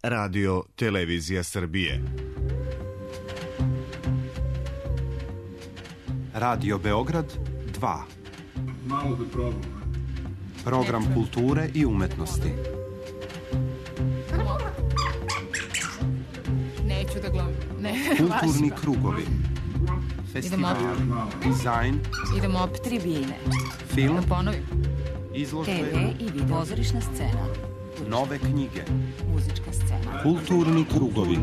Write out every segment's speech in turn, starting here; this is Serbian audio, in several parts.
Radio Televizija Srbije. Radio Beograd 2. Malo da probam. Program kulture i umetnosti. Neću da gledam. Kulturni krugovi. Festival, dizajn. Idemo opet tribine. Film. Da ponovim. Izložbe. TV i video. Pozorišna scena. Nove knjige. Muzička scena. Kulturni krugovi.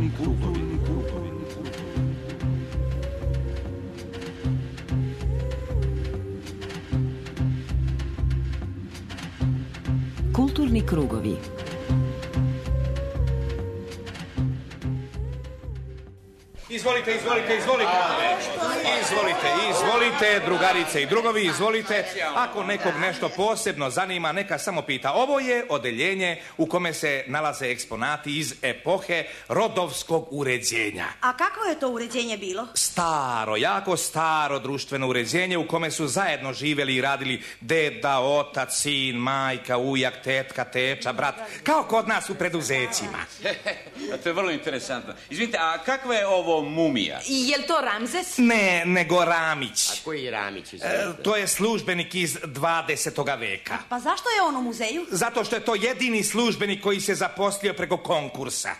Kulturni krugovi. Izvolite, drugarice i drugovi, izvolite. Ako nekog nešto posebno zanima, neka samo pita. Ovo je odeljenje u kome se nalaze eksponati iz epohe rodovskog uređenja. A kakvo je to uređenje bilo? Staro, jako staro društveno uređenje u kome su zajedno živjeli i radili deda, otac, sin, majka, ujak, tetka, teča, brat. Kao kod nas u preduzećima. To je vrlo interesantno. Izvinite, a kakva je ovo mumija? I je li to Ramzes? Ne, nego Ramić. A koji Ramić? To je službenik iz 20. veka. Pa zašto je on u muzeju? Zato što je to jedini službenik koji se zaposlio preko konkursa.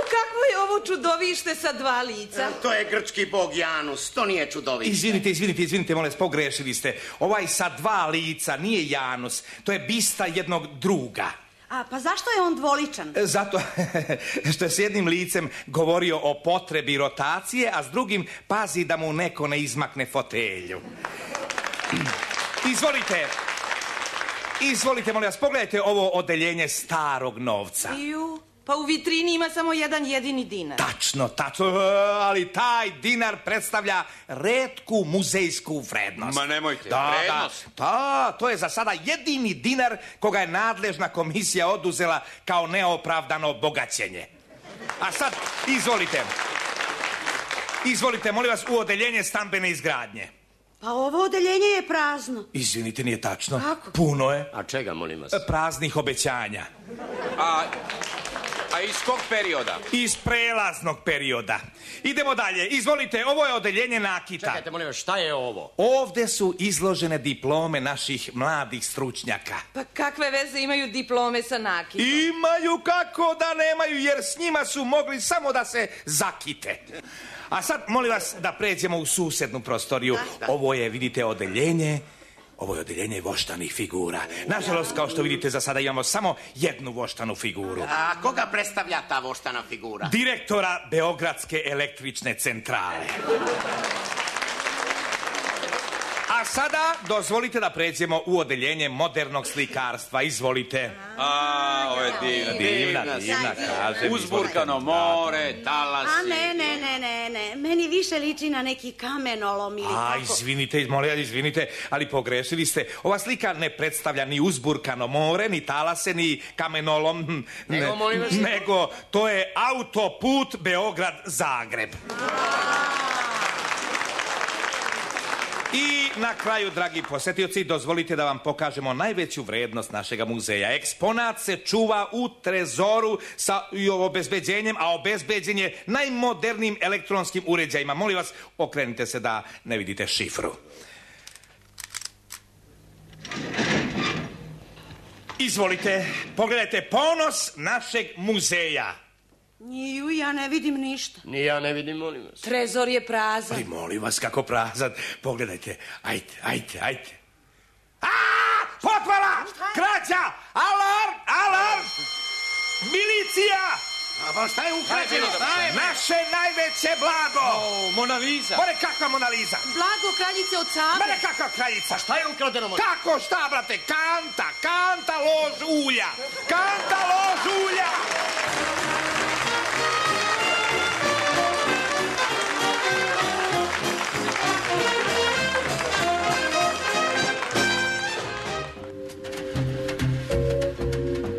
Kakvo je ovo čudovište sa dva lica? To je grčki bog Janus, to nije čudovište. Izvinite, molim vas, pogrešili ste. Ovaj sa dva lica nije Janus, to je bista jednog druga. A pa zašto je on dvoličan? Zato što je s jednim licem govorio o potrebi rotacije, a s drugim pazi da mu neko ne izmakne fotelju. Izvolite, molim vas, pogledajte ovo odeljenje starog novca. Pa u vitrini ima samo jedan jedini dinar. Tačno, ali taj dinar predstavlja retku muzejsku vrednost. Ma nemojte, vrednost? Da, to je za sada jedini dinar koga je nadležna komisija oduzela kao neopravdano bogaćenje. A sad, izvolite, molim vas, u odeljenje stambene izgradnje. Pa ovo odeljenje je prazno. Izvinite, nije tačno. Kako? Puno je. A čega, molim vas? Praznih obećanja. A iz kog perioda? Iz prelaznog perioda. Idemo dalje. Izvolite, ovo je odeljenje nakita. Čekajte, molim vas, šta je ovo? Ovde su izložene diplome naših mladih stručnjaka. Pa kakve veze imaju diplome sa nakitom? Imaju, kako da nemaju, jer s njima su mogli samo da se zakite. A sad, molim vas, da pređemo u susednu prostoriju. Ovo je, vidite, odeljenje voštanih figura. Nažalost, kao što vidite, za sada imamo samo jednu voštanu figuru. A koga predstavlja ta voštana figura? Direktora Beogradske električne centrale. A sada dozvolite da pređemo u odeljenje modernog slikarstva. Izvolite. Ovo je divna, kažem. Uzburkano more, talasi. A ne, meni više liči na neki kamenolom ili tako. Izvinite, ali pogrešili ste. Ova slika ne predstavlja ni uzburkano more, ni talase, ni kamenolom. Nego to je autoput Beograd-Zagreb. I na kraju, dragi posetioci, dozvolite da vam pokažemo najveću vrednost našega muzeja. Eksponat se čuva u trezoru sa obezbeđenjem, a obezbeđen je najmodernijim elektronskim uređajima. Molim vas, okrenite se da ne vidite šifru. Izvolite, pogledajte ponos našeg muzeja. Ja ne vidim ništa. Ni ja ne vidim, molim vas. Trezor je prazan. Ali molim vas, kako prazan. Pogledajte, ajde. Potvala! Krađa! Alarm! Milicija! A šta je ukrađeno? Naše najveće blago! Mona Lisa. Bore, kakva Mona Lisa? Blago kraljice od Save. Bore, kakva kraljica? A šta je ukradeno? Kako šta, brate? Kanta lož ulja!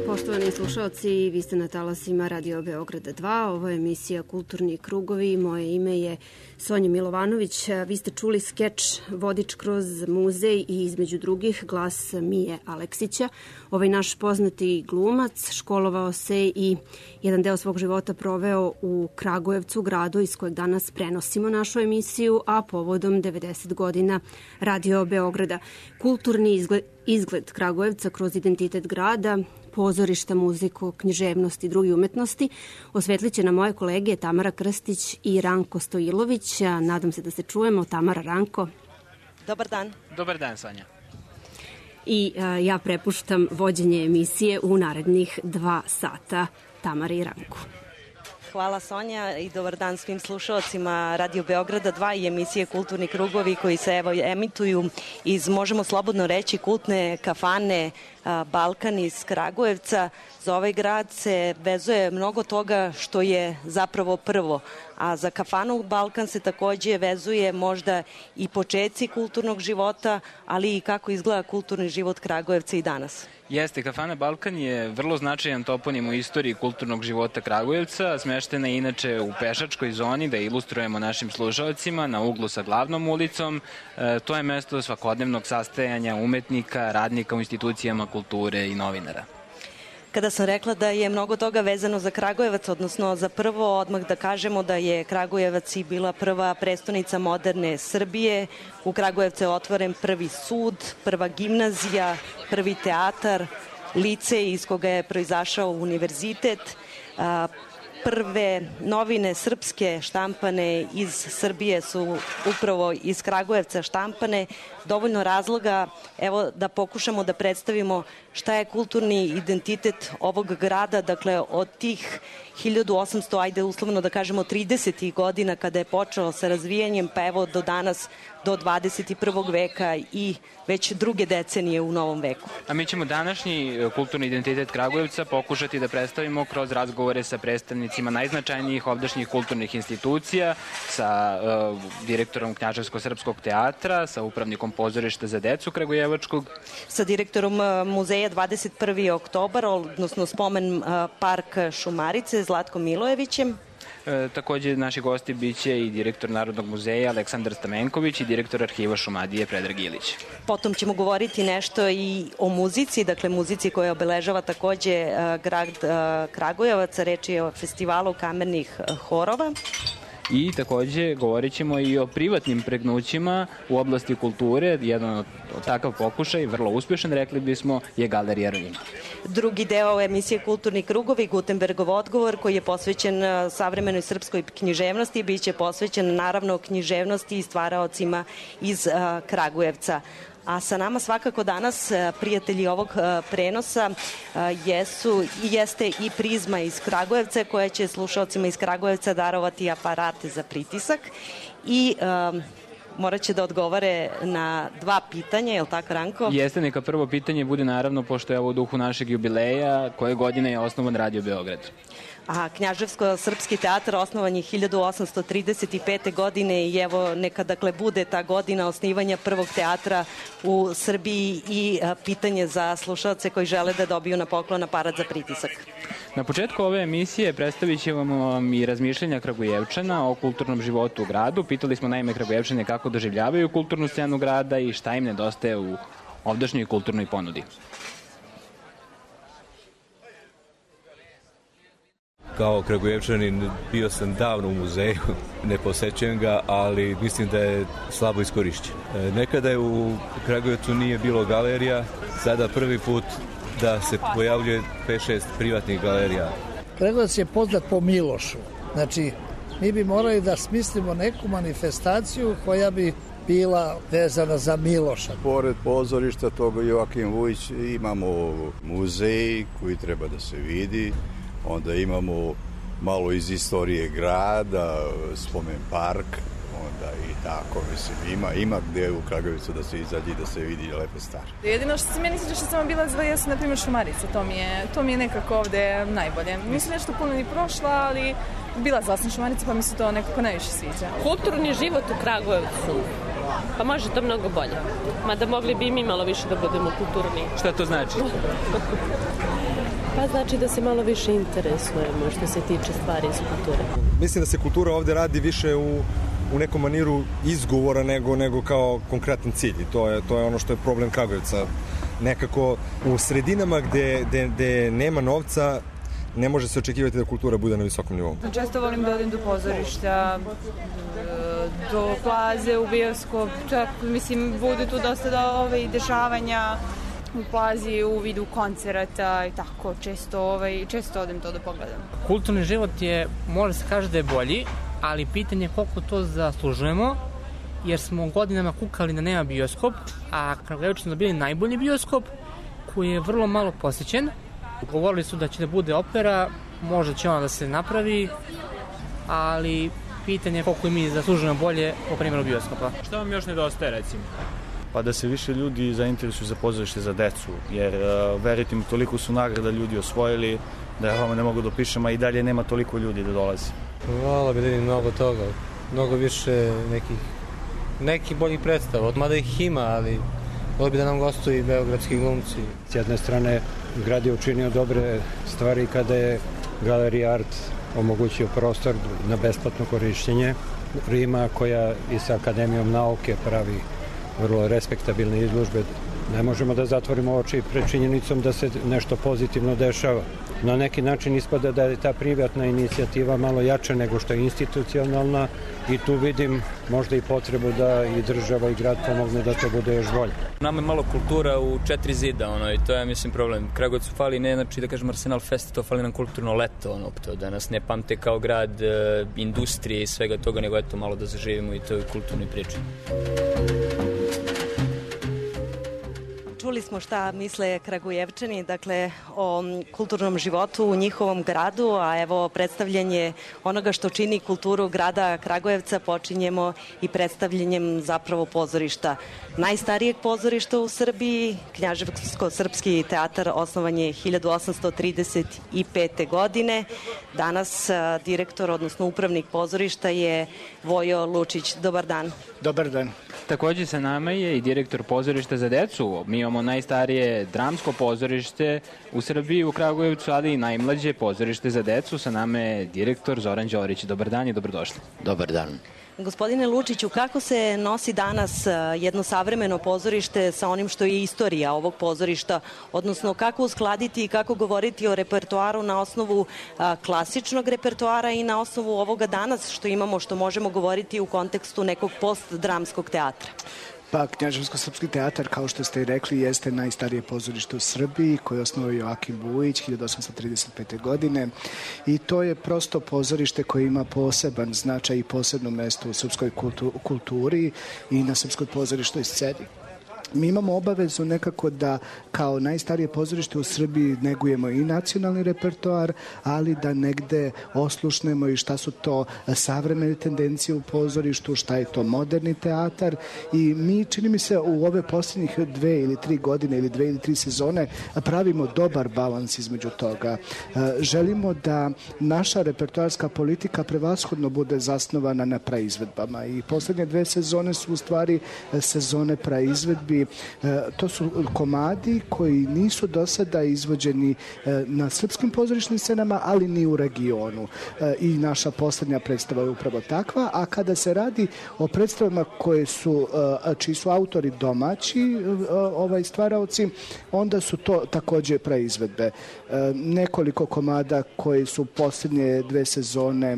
Poštovani slušalci, slušaoci, vi ste na talasima Radio Beograda 2, ovo je emisija Kulturni krugovi, moje ime je Sonja Milovanović. Vi ste čuli skeč Vodič kroz muzej i između drugih glas Mije Aleksića. Ovaj naš poznati glumac školovao se i jedan deo svog života proveo u Kragujevcu, gradu iz kojeg danas prenosimo našu emisiju, a povodom 90 godina Radio Beograda. Kulturni izgled Kragujevca kroz identitet grada, pozorišta, muziku, književnost i drugi umetnosti osvetlit će na moje kolege Tamara Krstić i Ranko Stojilović. Nadam se da se čujemo. Tamara, Ranko. Dobar dan. Dobar dan, Sonja. I ja prepuštam vođenje emisije u narednih 2 sata Tamari i Ranku. Hvala, Sonja, i dobar dan svim slušalcima Radio Beograda 2 i emisije Kulturni krugovi koji se emituju iz, možemo slobodno reći, kultne kafane Balkan iz Kragujevca. Za ovaj grad se vezuje mnogo toga što je zapravo prvo, a za kafanu Balkan se takođe vezuje možda i početci kulturnog života, ali i kako izgleda kulturni život Kragujevca i danas. Jeste, kafana Balkan je vrlo značajan toponim u istoriji kulturnog života Kragujevca. Smeštena je inače u pešačkoj zoni, da ilustrujemo našim slušalcima, na uglu sa glavnom ulicom. To je mesto svakodnevnog sastajanja umetnika, radnika u institucijama kulture i novinara. Kada sam rekla da je mnogo toga vezano za Kragujevac, odnosno za prvo, odmah da kažemo da je Kragujevac i bila prva prestonica moderne Srbije. U Kragujevcu je otvoren prvi sud, prva gimnazija, prvi teatar, licej iz koga je proizašao univerzitet. Prve novine srpske štampane iz Srbije su upravo iz Kragujevca štampane. Dovoljno razloga, evo, da pokušamo da predstavimo šta je kulturni identitet ovog grada, dakle od tih 1800, ajde uslovno da kažemo 30. godina kada je počeo sa razvijanjem, pa evo do danas, do 21. veka i već druge decenije u novom veku. A mi ćemo današnji kulturni identitet Kragujevca pokušati da predstavimo kroz razgovore sa predstavnicima najznačajnijih ovdašnjih kulturnih institucija, sa direktorom Knjaževsko-srpskog teatra, sa upravnikom pozorišta za decu Kragujevačkog, sa direktorom muzeja 21. oktobar, odnosno spomen park Šumarice, Zlatkom Milojevićem. Takođe, naši gosti biće i direktor Narodnog muzeja Aleksandar Stamenković i direktor arhiva Šumadije Predrag Ilić. Potom ćemo govoriti nešto i o muzici, dakle muzici koja obeležava takođe grad Kragujevac, reč je o festivalu kamernih horova. I takođe govorit ćemo i o privatnim pregnućima u oblasti kulture. Jedan od takav pokušaj, vrlo uspešan, rekli bismo, je Galerija Ruina. Drugi deo emisije Kulturni krugovi, Gutenbergov odgovor, koji je posvećen savremenoj srpskoj književnosti, biće posvećen naravno književnosti i stvaraocima iz Kragujevca. A sa nama svakako danas prijatelji ovog prenosa jeste i Prizma iz Kragujevca, koja će slušalcima iz Kragujevca darovati aparate za pritisak i morat će da odgovore na 2 pitanja, je li tako, Ranko? Jeste, neka prvo pitanje bude naravno, pošto je ovo u duhu našeg jubileja, koje godine je osnovan Radio Beograd? A Knjaževsko-srpski teatar osnovan je 1835. godine i evo neka dakle bude ta godina osnivanja prvog teatra u Srbiji i pitanje za slušalce koji žele da dobiju na poklon aparat za pritisak. Na početku ove emisije predstavit ćemo vam i razmišljenja Kragujevčana o kulturnom životu u gradu. Pitali smo naime Kragujevčane kako doživljavaju kulturnu scenu grada i šta im nedostaje u ovdašnjoj kulturnoj ponudi. Kao Kragujevčanin bio sam davno u muzeju, ne posećujem ga, ali mislim da je slabo iskorišćen. Nekada je u Kragujevcu nije bilo galerija, sada prvi put da se pojavljuje 5-6 privatnih galerija. Kragujevac je poznat po Milošu. Znači, mi bi morali da smislimo neku manifestaciju koja bi bila vezana za Miloša. Pored pozorišta toga Joakim Vujić imamo muzej koji treba da se vidi. Onda imamo malo iz istorije grada, spomen park, onda i tako, mislim, ima gde u Kragujevcu da se izađe i da se vidi lepe stvari. Jedino što se meni sviđa što sam bila zva jesu, na primjer, Šumarice, to mi je nekako ovde najbolje. Mislim, nešto puno ni prošla, ali bila sam Šumarice, pa mi se to nekako najviše sviđa. Kulturni život u Kragujevcu Pa može to mnogo bolje. Mada mogli bi i mi malo više da budemo kulturni. Šta to znači? Pa znači da se malo više interesujemo što se tiče stvari iz kulture. Mislim da se kultura ovde radi više u nekom maniru izgovora nego kao konkretan cilj. I to je ono što je problem Kragujevca. Nekako u sredinama gde nema novca ne može se očekivati da kultura bude na visokom nivou. Često volim da odem do pozorišta, do plaze, u bioskop, čak mislim bude tu dosta dešavanja u plazi u vidu koncerata i tako, često odem to da pogledam. Kulturni život je, može se kaže da je bolji, ali pitanje je koliko to zaslužujemo, jer smo godinama kukali da nema bioskop, a Kragujevčani su dobili najbolji bioskop koji je vrlo malo posećen. Govorili su da će da bude opera, možda će ona da se napravi, ali pitanje je koliko i mi zaslužujemo bolje po primjeru bioskopa. Šta vam još nedostaje, recimo? Pa da se više ljudi zainteresuju za pozorište za decu, jer verujte mi, toliko su nagrada ljudi osvojili da ja vam ne mogu da opišem, a i dalje nema toliko ljudi da dolazi. Volao bi da vidim mnogo toga, mnogo više nekih boljih predstava, mada ih ima, ali volio bi da nam gostuju i beogradski glumci. S jedne strane, grad je učinio dobre stvari kada je Galerija Art omogućio prostor na besplatno korišćenje. Rima, koja i sa Akademijom nauke pravi vrlo respektabilne izložbe. Ne možemo da zatvorimo oči pred činjenicom da se nešto pozitivno dešava. Na neki način ispada da je ta privatna inicijativa malo jača nego što je institucionalna i tu vidim možda i potrebu da i država i grad pomogne da to bude još bolje. Nama je malo kultura u 4 zida, i to je, mislim, problem. Kragujevcu fali ne, znači da kažem Arsenal Fest, to fali nam kulturno leto, to da nas ne pamte kao grad industrije i svega toga, nego eto malo da zaživimo i toj kulturnoj priči. Čuli smo šta misle Kragujevčani, dakle, o kulturnom životu u njihovom gradu, a evo predstavljanje onoga što čini kulturu grada Kragujevca počinjemo i predstavljanjem zapravo pozorišta. Najstarijeg pozorišta u Srbiji, Knjaževsko-srpski teatar, osnovan je 1835. godine. Danas direktor, odnosno upravnik pozorišta je Vojo Lučić. Dobar dan. Dobar dan. Takođe sa nama je i direktor pozorišta za decu. Mi imamo najstarije dramsko pozorište u Srbiji, u Kragujevcu, ali i najmlađe pozorište za decu. Sa nama je direktor Zoran Đorić. Dobar dan i dobrodošli. Dobar dan. Gospodine Lučiću, kako se nosi danas jedno savremeno pozorište sa onim što je istorija ovog pozorišta, odnosno kako uskladiti i kako govoriti o repertoaru na osnovu klasičnog repertoara i na osnovu ovoga danas što imamo, što možemo govoriti u kontekstu nekog postdramskog teatra? Pa, Knjaževsko-srpski teatar, kao što ste i rekli, jeste najstarije pozorište u Srbiji, koje je osnovao Joakim Vujić 1835. godine i to je prosto pozorište koje ima poseban značaj i posebno mesto u srpskoj kulturi i na srpskoj pozorištoj sceni. Mi imamo obavezu nekako da kao najstarije pozorište u Srbiji negujemo i nacionalni repertoar, ali da negde oslušnemo i šta su to savremene tendencije u pozorištu, šta je to moderni teatar i mi, čini mi se, u ove posljednjih 2 ili 3 godine ili 2 ili 3 sezone pravimo dobar balans između toga. Želimo da naša repertoarska politika prevashodno bude zasnovana na praizvedbama i poslednje 2 sezone su u stvari sezone praizvedbi. To su komadi koji nisu do sada izvođeni na srpskim pozorišnim scenama, ali ni u regionu. I naša poslednja predstava je upravo takva, a kada se radi o predstavama čiji su autori domaći stvaraoci, onda su to takođe praizvedbe. Nekoliko komada koji su poslednje 2 sezone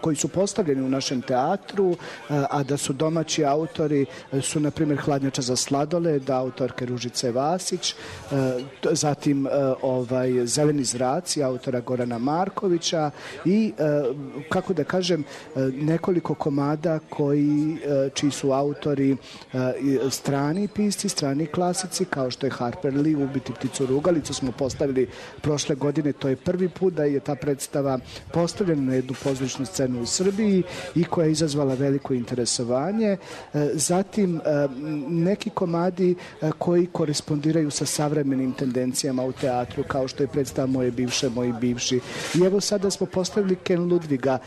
koji su postavljeni u našem teatru, a da su domaći autori, su na primjer Hladnjača za sladoled, autorke Ružice Vasić, zatim Zeleni zraci, autora Gorana Markovića i, kako da kažem, nekoliko komada čiji su autori strani pisci, strani klasici, kao što je Harper Lee, Ubiti pticu rugalicu smo postavili prošle godine. To je prvi put da je ta predstava postavljena na jednu pozorišnu pozorišnu scenu u Srbiji i koja je izazvala veliko interesovanje. Zatim neki komadi koji korespondiraju sa savremenim tendencijama u teatru, kao što je predstava Moje bivše, moji bivši. I evo sada smo postavili Ken Ludviga,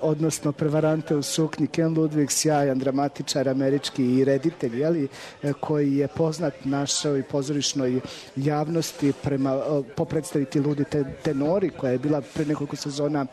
odnosno Prevarante u suknji. Ken Ludvig, sjajan dramatičar američki i reditelj, koji je poznat našoj pozorišnoj javnosti po predstaviti Ludi tenori, koja je bila pre nekoliko sezona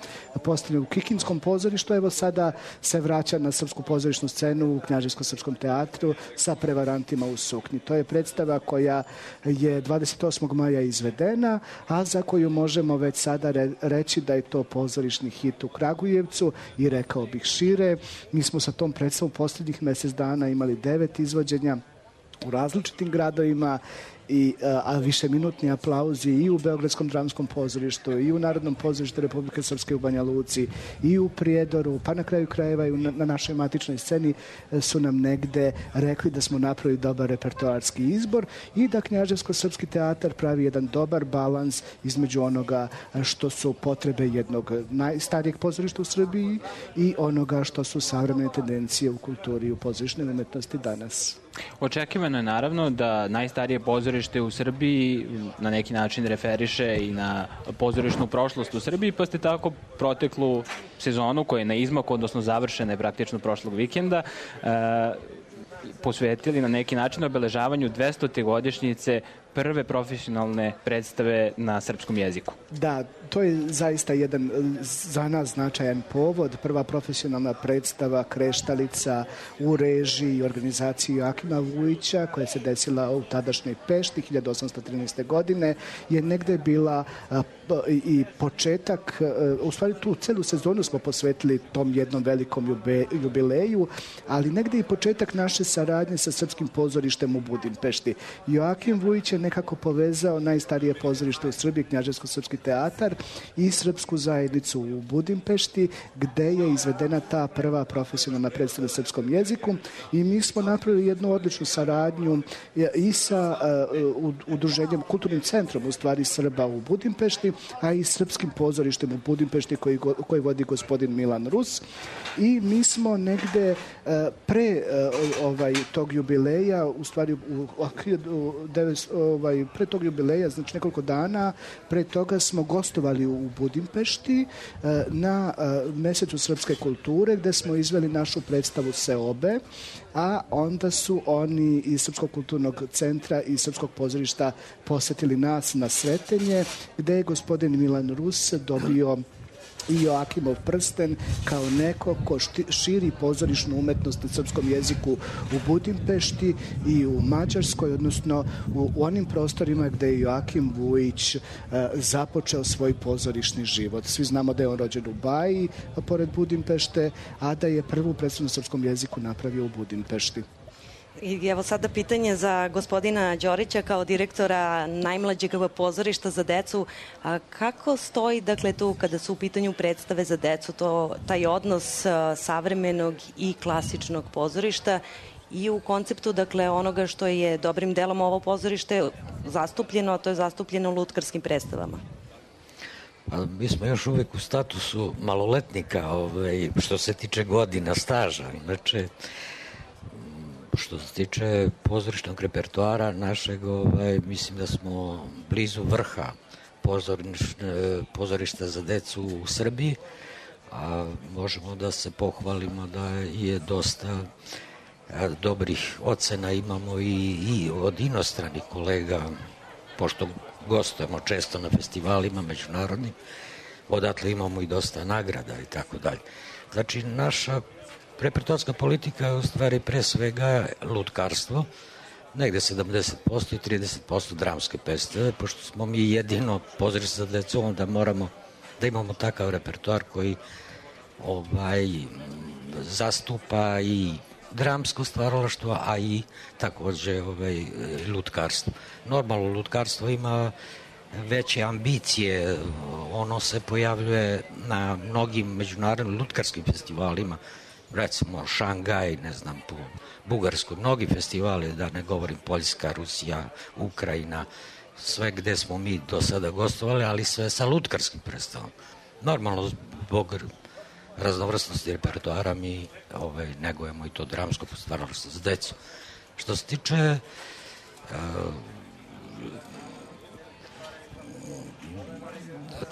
postavljena u Kikinskom pozorištu. Evo sada se vraća na srpsku pozorišnu scenu u Knjaževsko-srpskom teatru sa Prevarantima u suknji. To je predstava koja je 28. maja izvedena, a za koju možemo već sada reći da je to pozorišni hit u Kragujevcu i rekao bih šire. Mi smo sa tom predstavom posljednjih mjesec dana imali 9 izvođenja u različitim gradovima, a višeminutni aplauzi i u Beogradskom dramskom pozorištu i u Narodnom pozorištu Republike Srpske u Banja Luci i u Prijedoru, pa na kraju krajeva i na našoj matičnoj sceni su nam negde rekli da smo napravili dobar repertoarski izbor i da Knjaževsko-srpski teatar pravi jedan dobar balans između onoga što su potrebe jednog najstarijeg pozorišta u Srbiji i onoga što su savremene tendencije u kulturi i u pozorišnoj umetnosti danas. Očekivano je naravno da najstarije pozorište u Srbiji na neki način referiše i na pozorišnu prošlost u Srbiji, pa ste tako proteklu sezonu koja je na izmaku, odnosno završena je praktično prošlog vikenda, posvetili na neki način obeležavanju 200. godišnjice prve profesionalne predstave na srpskom jeziku. Da, to je zaista jedan za nas značajan povod. Prva profesionalna predstava Kreštalica u režiji i organizaciji Joakima Vujića, koja se desila u tadašnjoj Pešti 1813. godine, je negde bila i početak, u stvari tu celu sezonu smo posvetili tom jednom velikom jubileju, ali negde i početak naše saradnje sa srpskim pozorištem u Budimpešti. Joakim Vujić je nekako povezao najstarije pozorište u Srbiji, Knjaževsko-srpski teatar, i srpsku zajednicu u Budimpešti, gde je izvedena ta prva profesionalna predstava na srpskom jeziku i mi smo napravili jednu odličnu saradnju i sa udruženjem, kulturnim centrom u stvari Srba u Budimpešti, a i srpskim pozorištem u Budimpešti koji vodi gospodin Milan Rus. I mi smo negde pre tog jubileja, u stvari pre tog jubileja, znači nekoliko dana pre toga smo gostovali u Budimpešti na mesecu srpske kulture, gde smo izveli našu predstavu Seobe, a onda su oni iz Srpskog kulturnog centra i Srpskog pozorišta posetili nas na Sretenje, gde je gospodin Milan Rus dobio i Joakimov prsten kao neko ko širi pozorišnu umetnost na srpskom jeziku u Budimpešti i u Mađarskoj, odnosno u onim prostorima gde je Joakim Vujić započeo svoj pozorišni život. Svi znamo da je on rođen u Baji, pored Budimpešte, a da je prvu predstavu na srpskom jeziku napravio u Budimpešti. I evo sada pitanje za gospodina Đorića kao direktora najmlađeg pozorišta za decu. A kako stoji, dakle, tu kada su u pitanju predstave za decu, taj odnos savremenog i klasičnog pozorišta i u konceptu, dakle, onoga što je dobrim delom ovo pozorište zastupljeno, a to je zastupljeno u lutkarskim predstavama? Pa, mi smo još uvek u statusu maloletnika, što se tiče godina staža. Inače, što se tiče pozorišnog repertoara našeg, mislim da smo blizu vrha pozorišta za decu u Srbiji, a možemo da se pohvalimo da je dosta dobrih ocena imamo i od inostranih kolega, pošto gostujemo često na festivalima međunarodnim, odatle imamo i dosta nagrada i tako dalje. Znači, naša repertoarska politika je u stvari pre svega lutkarstvo, negde 70% i 30% dramske predstave, pošto smo mi jedino pozorište za decu, onda moramo da imamo takav repertoar koji zastupa i dramsko stvaralaštvo, a i takođe lutkarstvo. Normalno, lutkarstvo ima veće ambicije, ono se pojavljuje na mnogim međunarodnim lutkarskim festivalima, recimo Šangaj, ne znam, po Bugarskoj, mnogi festivali, da ne govorim Poljska, Rusija, Ukrajina, sve gde smo mi do sada gostovali, ali sve sa lutkarskim predstavom. Normalno, zbog raznovrsnosti repertoara mi negujemo i to dramsko stvaralaštvo za decu. Što se tiče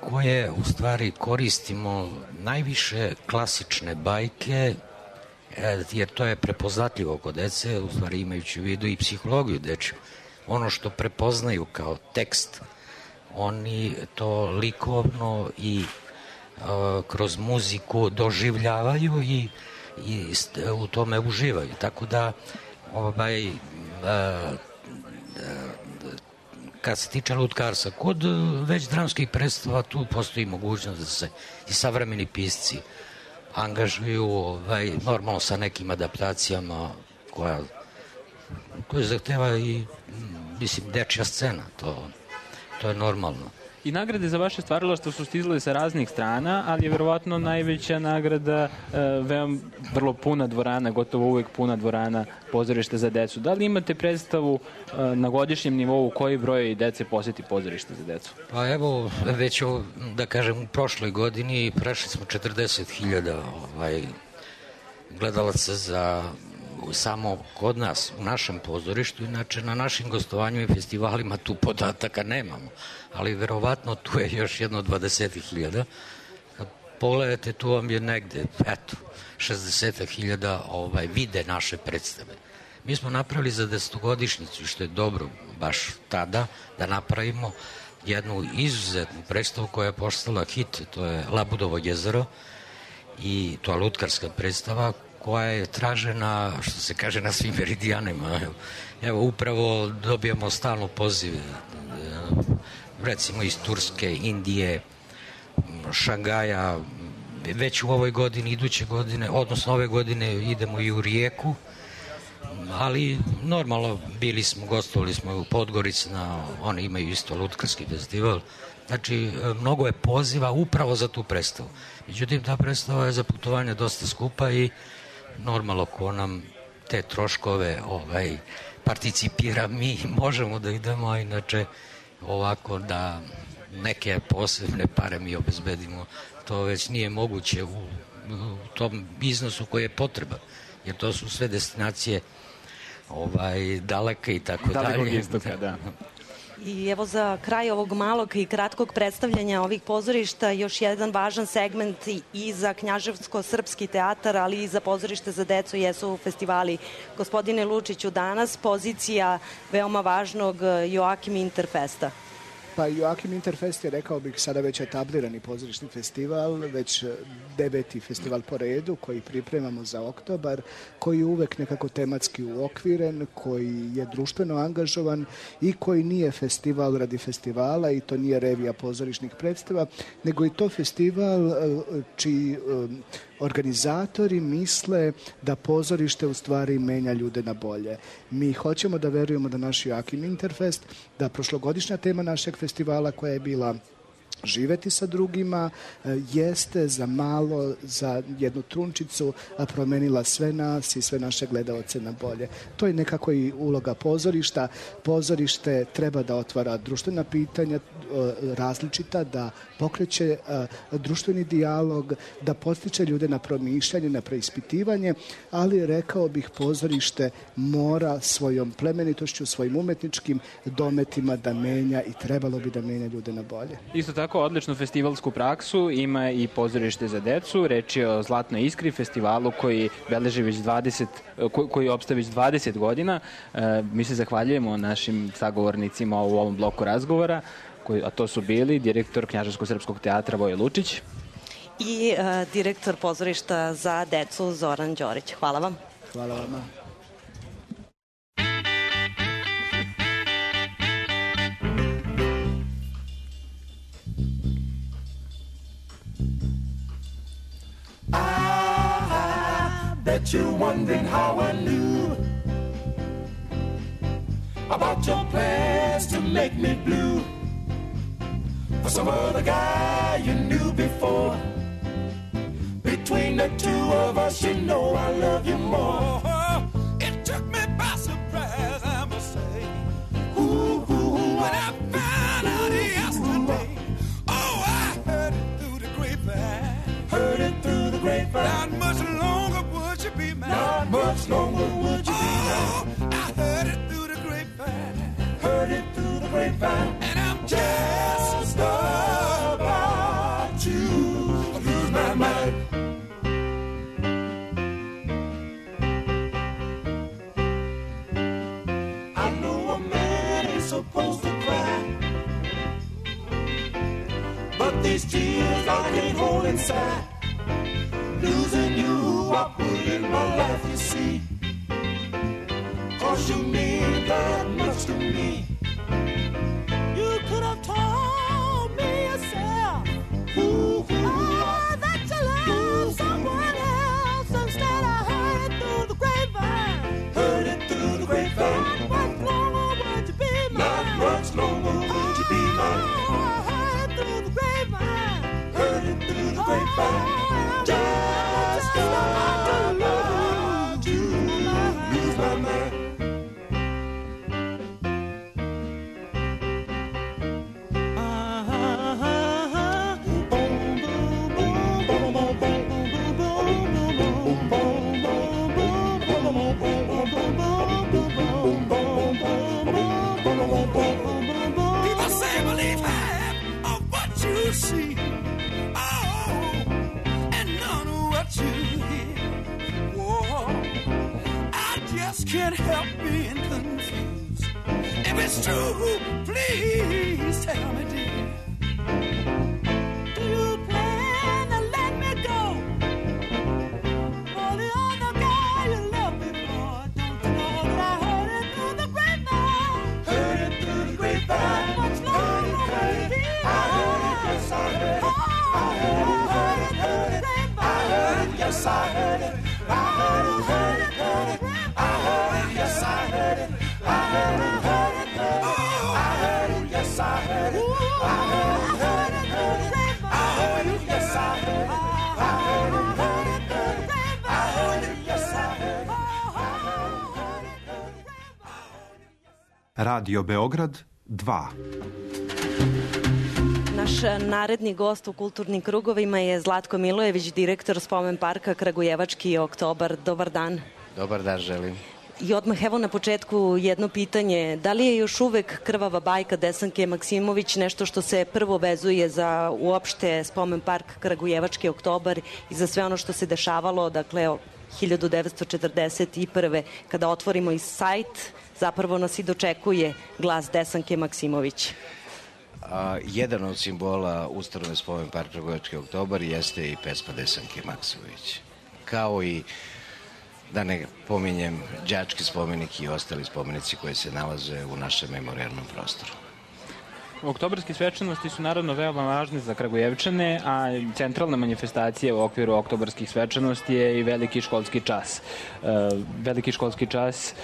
koje u stvari koristimo najviše klasične bajke, jer to je prepoznatljivo kod dece, u stvari imajući u vidu i psihologiju dečju. Ono što prepoznaju kao tekst, oni to likovno i kroz muziku doživljavaju i u tome uživaju. Tako da kad se tiče lutkarstva, kod već dramskih predstava tu postoji mogućnost da se i savremeni pisci angažuju normalno sa nekim adaptacijama koje zahteva i dečja scena, to je normalno. I nagrade za vaše stvaralaštvo su stizale sa raznih strana, ali je verovatno najveća nagrada vrlo puna dvorana, gotovo uvek puna dvorana pozorište za decu. Da li imate predstavu na godišnjem nivou koji broj dece poseti pozorište za decu? Pa evo, već da kažem u prošloj godini prešli smo 40.000 gledalaca za samo kod nas, u našem pozorištu, inače na našim gostovanjima i festivalima tu podataka nemamo, ali verovatno tu je još jedno 20.000. Kad pogledate, tu vam je negde, 60.000 vide naše predstave. Mi smo napravili za 10-godišnjicu, što je dobro baš tada, da napravimo jednu izuzetnu predstavu koja je postala hit, to je Labudovo jezero, i to je lutkarska predstava koja je tražena, što se kaže, na svim meridijanima. Evo, upravo dobijamo stalno poziv, recimo iz Turske, Indije, Šangaja, već u ovoj godini, iduće godine, odnosno ove godine idemo i u Rijeku, ali normalno gostovali smo u Podgorici, oni imaju isto lutkarski festival, znači mnogo je poziva upravo za tu predstavu. Međutim, ta predstava je za putovanje dosta skupa i normalno ko nam te troškove participira, mi možemo da idemo, a inače ovako da neke posebne pare mi obezbedimo, to već nije moguće u tom iznosu koji je potreban, jer to su sve destinacije daleke i tako dalje. Dalekog istoka, da. I evo za kraj ovog malog i kratkog predstavljanja ovih pozorišta još jedan važan segment i za Knjaževsko-srpski teatar, ali i za pozorište za decu jesu festivali. Gospodine Lučiću, danas pozicija veoma važnog Joakim Interfesta. Pa Joakim Interfest je, rekao bih, sada već etablirani pozorišni festival, već 9. festival po redu koji pripremamo za oktobar, koji je uvek nekako tematski uokviren, koji je društveno angažovan i koji nije festival radi festivala i to nije revija pozorišnih predstava, nego i to festival čiji organizatori misle da pozorište u stvari menja ljude na bolje. Mi hoćemo da verujemo da naš Joakim Interfest, da prošlogodišnja tema našeg festivala koja je bila živeti sa drugima, jeste za malo, za jednu trunčicu promenila sve nas i sve naše gledaoce na bolje. To je nekako i uloga pozorišta. Pozorište treba da otvara društvena pitanja različita, da pokreće društveni dijalog, da podstiče ljude na promišljanje, na preispitivanje, ali rekao bih pozorište mora svojom plemenitošću, svojim umetničkim dometima da menja i trebalo bi da menja ljude na bolje. Isto tako, odličnu festivalsku praksu ima i pozorište za decu. Reč je o Zlatnoj iskri, festivalu koji beleži već koji opstaje već 20 godina. Mi se zahvaljujemo našim sagovornicima u ovom bloku razgovora, a to su bili direktor Knjaževsko-srpskog teatra Voje Lučić i direktor pozorišta za decu Zoran Đorić. Hvala vam. Hvala vama. Bet you're wondering how I knew about your plans to make me blue for some other guy you knew before. Between the two of us, you know I love you more. It took me by surprise, I must say. Ooh, when I found out yesterday. Oh, I heard it through the grapevine. Heard it through the grapevine. grapevine, and I'm just about to lose my mind. I know a man ain't supposed to cry, but these tears I can't hold inside. Losing you, I put in my life, you see, 'cause you mean that much to me. You could have told me yourself, that you love someone else. Instead I heard it through the grapevine. Heard it through the grapevine. Not much longer would you be mine. Not much longer would you be mine. I heard it through the grapevine. Heard it through the grapevine. Just about to lose my mind. People say believe half of what you see, and none of what you hear. Whoa, I just can't help being confused. If it's true, please tell me, dear. Do you plan to let me go for the other guy you loved before? Don't you know that I heard it through the grapevine? Heard it through the grapevine. Much longer would you be mine? I heard it, yes I heard it. I heard it, heard it, heard it. I heard it, yes I heard it. I heard it, heard it, heard it. I heard it, yes I heard it. I heard it, heard it, heard it. I heard it, yes I heard it. I heard it, heard it, heard it. I heard it, yes I heard it. I heard it, heard it, heard it. I heard it, yes I heard it. Radio Beograd 2. Naš naredni gost u kulturnim krugovima je Zlatko Milojević, direktor Spomen parka Kragujevački oktobar. Dobar dan. Dobar dan, želim. I odmah evo na početku jedno pitanje. Da li je još uvek krvava bajka Desanke Maksimović nešto što se prvo vezuje za uopšte Spomen park Kragujevački oktobar i za sve ono što se dešavalo, dakle 1941. kada otvorimo i sajt, zapravo nas i dočekuje glas Desanke Maksimović? Jedan od simbola ustanove Spomen park Kragujevački oktobar jeste i pesma Desanke Maksimović. Kao i, da ne pominjem, đački spomenik i ostali spomenici koji se nalaze u našem memorijalnom prostoru. Oktobarske svečanosti su naravno veoma važne za Kragujevčane, a centralna manifestacija u okviru oktobarskih svečanosti je i veliki školski čas. Veliki školski čas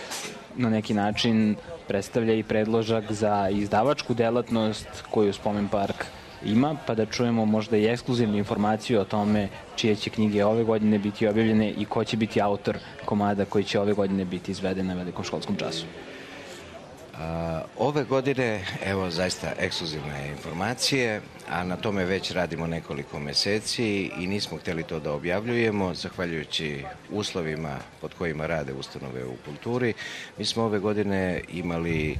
na neki način predstavlja i predložak za izdavačku delatnost koju Spomen park ima, pa da čujemo možda i ekskluzivnu informaciju o tome čije će knjige ove godine biti objavljene i ko će biti autor komada koji će ove godine biti izveden na velikom školskom času. Ove godine, evo zaista ekskluzivne informacije, a na tome već radimo nekoliko meseci i nismo hteli to da objavljujemo, zahvaljujući uslovima pod kojima rade ustanove u kulturi. Mi smo ove godine imali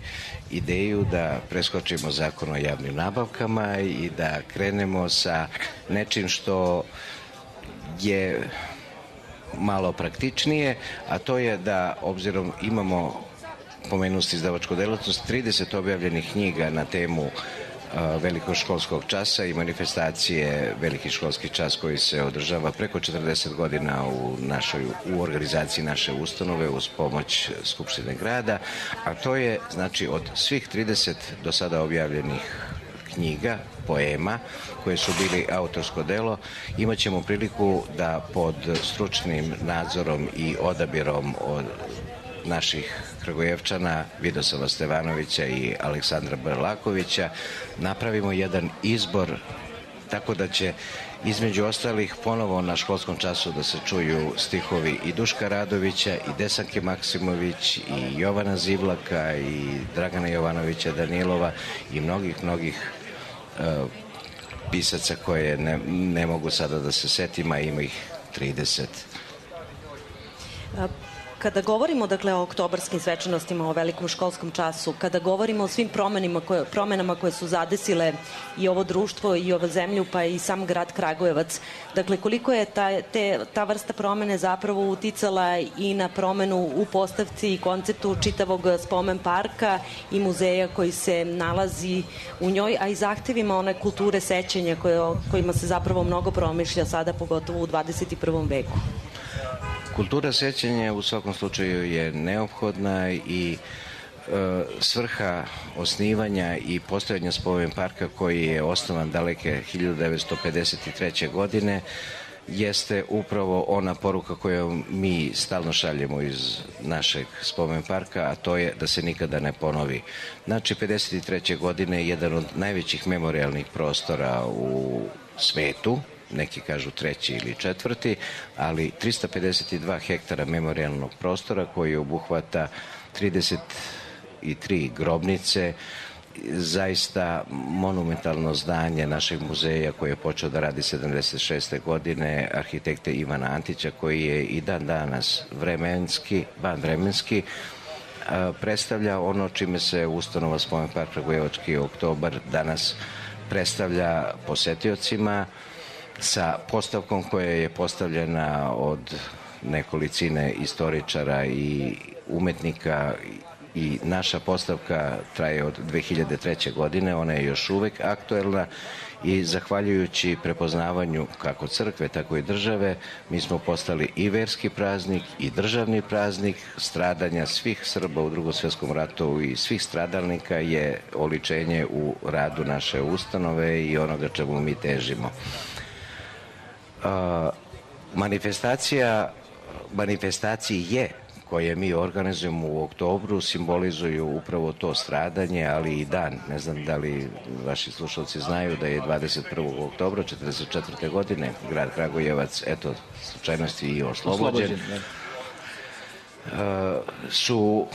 ideju da preskočimo zakon o javnim nabavkama i da krenemo sa nečim što je malo praktičnije, a to je da, obzirom imamo pomenuti izdavačku delatnost, 30 objavljenih knjiga na temu velikog školskog časa i manifestacije veliki školski čas koji se održava preko 40 godina u organizaciji naše ustanove uz pomoć Skupštine grada, a to je, znači, od svih 30 do sada objavljenih knjiga, poema, koje su bili autorsko delo, imat ćemo priliku da pod stručnim nadzorom i odabirom od naših Kragujevčana, Vidoslava Stevanovića i Aleksandra Brlakovića, napravimo jedan izbor, tako da će između ostalih ponovo na školskom času da se čuju stihovi i Duška Radovića i Desanke Maksimović i Jovana Zivlaka i Dragana Jovanovića Danilova i mnogih pisaca koje ne mogu sada da se setim, a ima ih 30. Kada govorimo dakle o oktobarskim svečanostima, o velikom školskom času, kada govorimo o svim promenama koje su zadesile i ovo društvo i ovu zemlju, pa i sam grad Kragujevac, dakle koliko je ta vrsta promene zapravo uticala i na promenu u postavci i konceptu čitavog spomen parka i muzeja koji se nalazi u njoj, a i zahtevima one kulture sećanja kojima se zapravo mnogo promišlja sada, pogotovo u 21. veku. Kultura sećanja u svakom slučaju je neophodna i svrha osnivanja i postojanja spomen parka koji je osnovan daleke 1953. godine jeste upravo ona poruka koju mi stalno šaljemo iz našeg spomen parka, a to je da se nikada ne ponovi. Znači, 1953. godine je jedan od najvećih memorialnih prostora u svetu, neki kažu treći ili četvrti, ali 352 hektara memorialnog prostora koji obuhvata 33 grobnice, zaista monumentalno zdanje našeg muzeja koji je počeo da radi 76. godine, arhitekte Ivana Antića, koji je i dan danas vanvremenski predstavlja ono čime se ustanova Spomen park Kragujevački oktobar danas predstavlja posetiocima, sa postavkom koja je postavljena od nekolicine istoričara i umetnika, i naša postavka traje od 2003. godine, ona je još uvek aktuelna i zahvaljujući prepoznavanju kako crkve, tako i države, mi smo postali i verski praznik i državni praznik. Stradanja svih Srba u Drugom svjetskom ratu i svih stradalnika je oličenje u radu naše ustanove i onoga čemu mi težimo. Manifestacije koje mi organizujemo u oktobru simbolizuju upravo to stradanje, ali i dan. Ne znam da li vaši slušalci znaju da je 21. oktobra 1944. godine grad Kragujevac, eto, slučajnosti i oslobođen. Su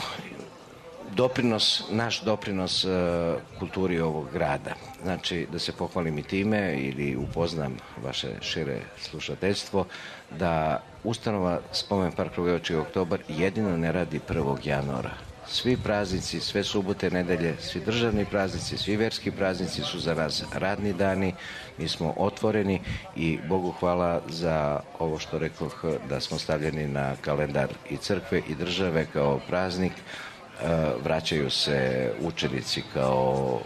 naš doprinos kulturi ovog grada. Znači, da se pohvalim i time ili upoznam vaše šire slušateljstvo, da ustanova Spomen park Kragujevački oktobar jedino ne radi 1. januara. Svi praznici, sve subote, nedelje, svi državni praznici, svi verski praznici su za nas radni dani, mi smo otvoreni i Bogu hvala za ovo što rekoh, da smo stavljeni na kalendar i crkve i države kao praznik. Vraćaju se učenici kao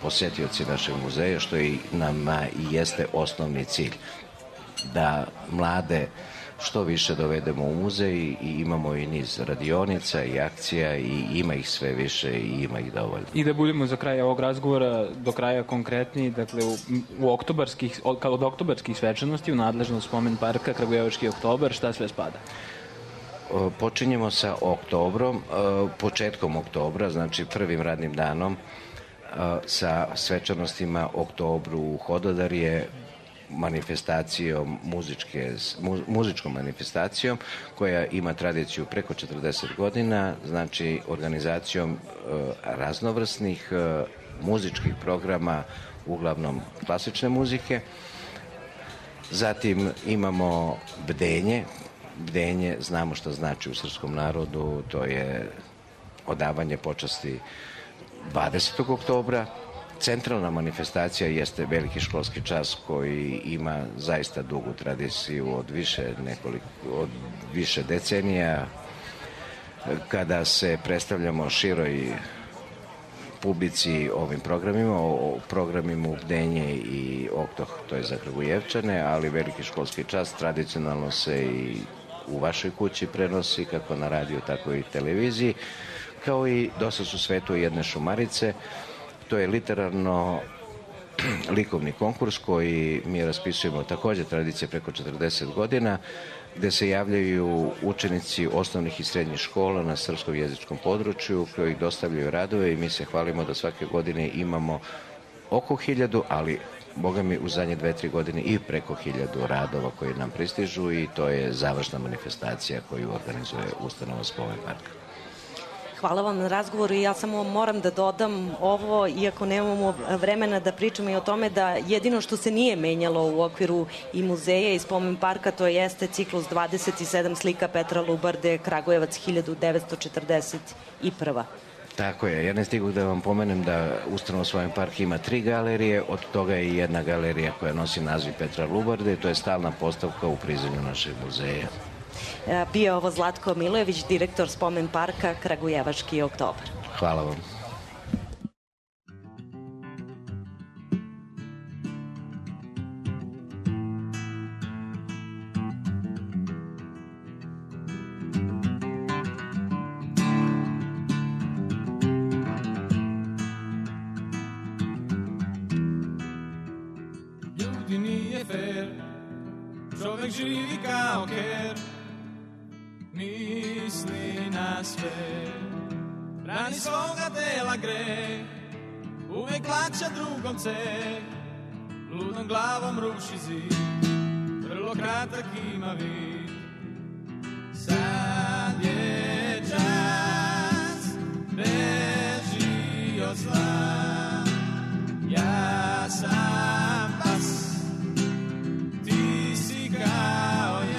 posetioci našeg muzeja, što i nama i jeste osnovni cilj, da mlade što više dovedemo u muzej i imamo i niz radionica i akcija i ima ih sve više i ima ih dovoljno. I da budemo za kraj ovog razgovora do kraja konkretni, dakle od oktobarskih svečanosti u nadležnost Spomen parka Kragujevački oktobar, šta sve spada? Počinjemo sa oktobrom, početkom oktobra, znači prvim radnim danom, sa svečanostima oktobru u Hododarje, manifestacijom, muzičkom manifestacijom koja ima tradiciju preko 40 godina, znači organizacijom raznovrsnih muzičkih programa, uglavnom klasične muzike. Zatim imamo bdenje. Bdenje, znamo što znači u srpskom narodu, to je odavanje počasti 20. oktobra. Centralna manifestacija jeste veliki školski čas koji ima zaista dugu tradiciju od više decenija, kada se predstavljamo široj publici ovim programima, o programima Bdenje i Oktoh, to je za Kragujevčane, ali veliki školski čas tradicionalno se i u vašoj kući prenosi, kako na radiju, tako i televiziji, kao i dosta su svetu jedne šumarice. To je literarno likovni konkurs koji mi raspisujemo takođe tradicije preko 40 godina, gde se javljaju učenici osnovnih i srednjih škola na srpskom jezičkom području koji dostavljaju radove i mi se hvalimo da svake godine imamo oko 1000, ali Boga mi u zadnje 2-3 godine i preko 1000 radova koji nam pristižu i to je završna manifestacija koju organizuje ustanova Spomen parka. Hvala vam na razgovoru i ja samo moram da dodam ovo, iako nemamo vremena da pričamo i o tome da jedino što se nije menjalo u okviru i muzeja i spomen parka, to jeste ciklus 27 slika Petra Lubarde, Kragujevac 1941. Tako je, ja ne stigu da vam pomenem da ustanova Spomen park ima 3 galerije, od toga je i jedna galerija koja nosi naziv Petra Lubarde, to je stalna postavka u prizemlju našeg muzeja. Bio je ovo Zlatko Milojević, direktor Spomen parka Kragujevački oktobar. Hvala vam. Ljudi nije fair, čovek živi kao ker, misli na sve, brani svoga tela greh, uvek plaća drugom ceh, ludom glavom ruši zid, vrlo kratak ima vid. Sad je čas, beži od zla, ja sam pas, ti si kao ja.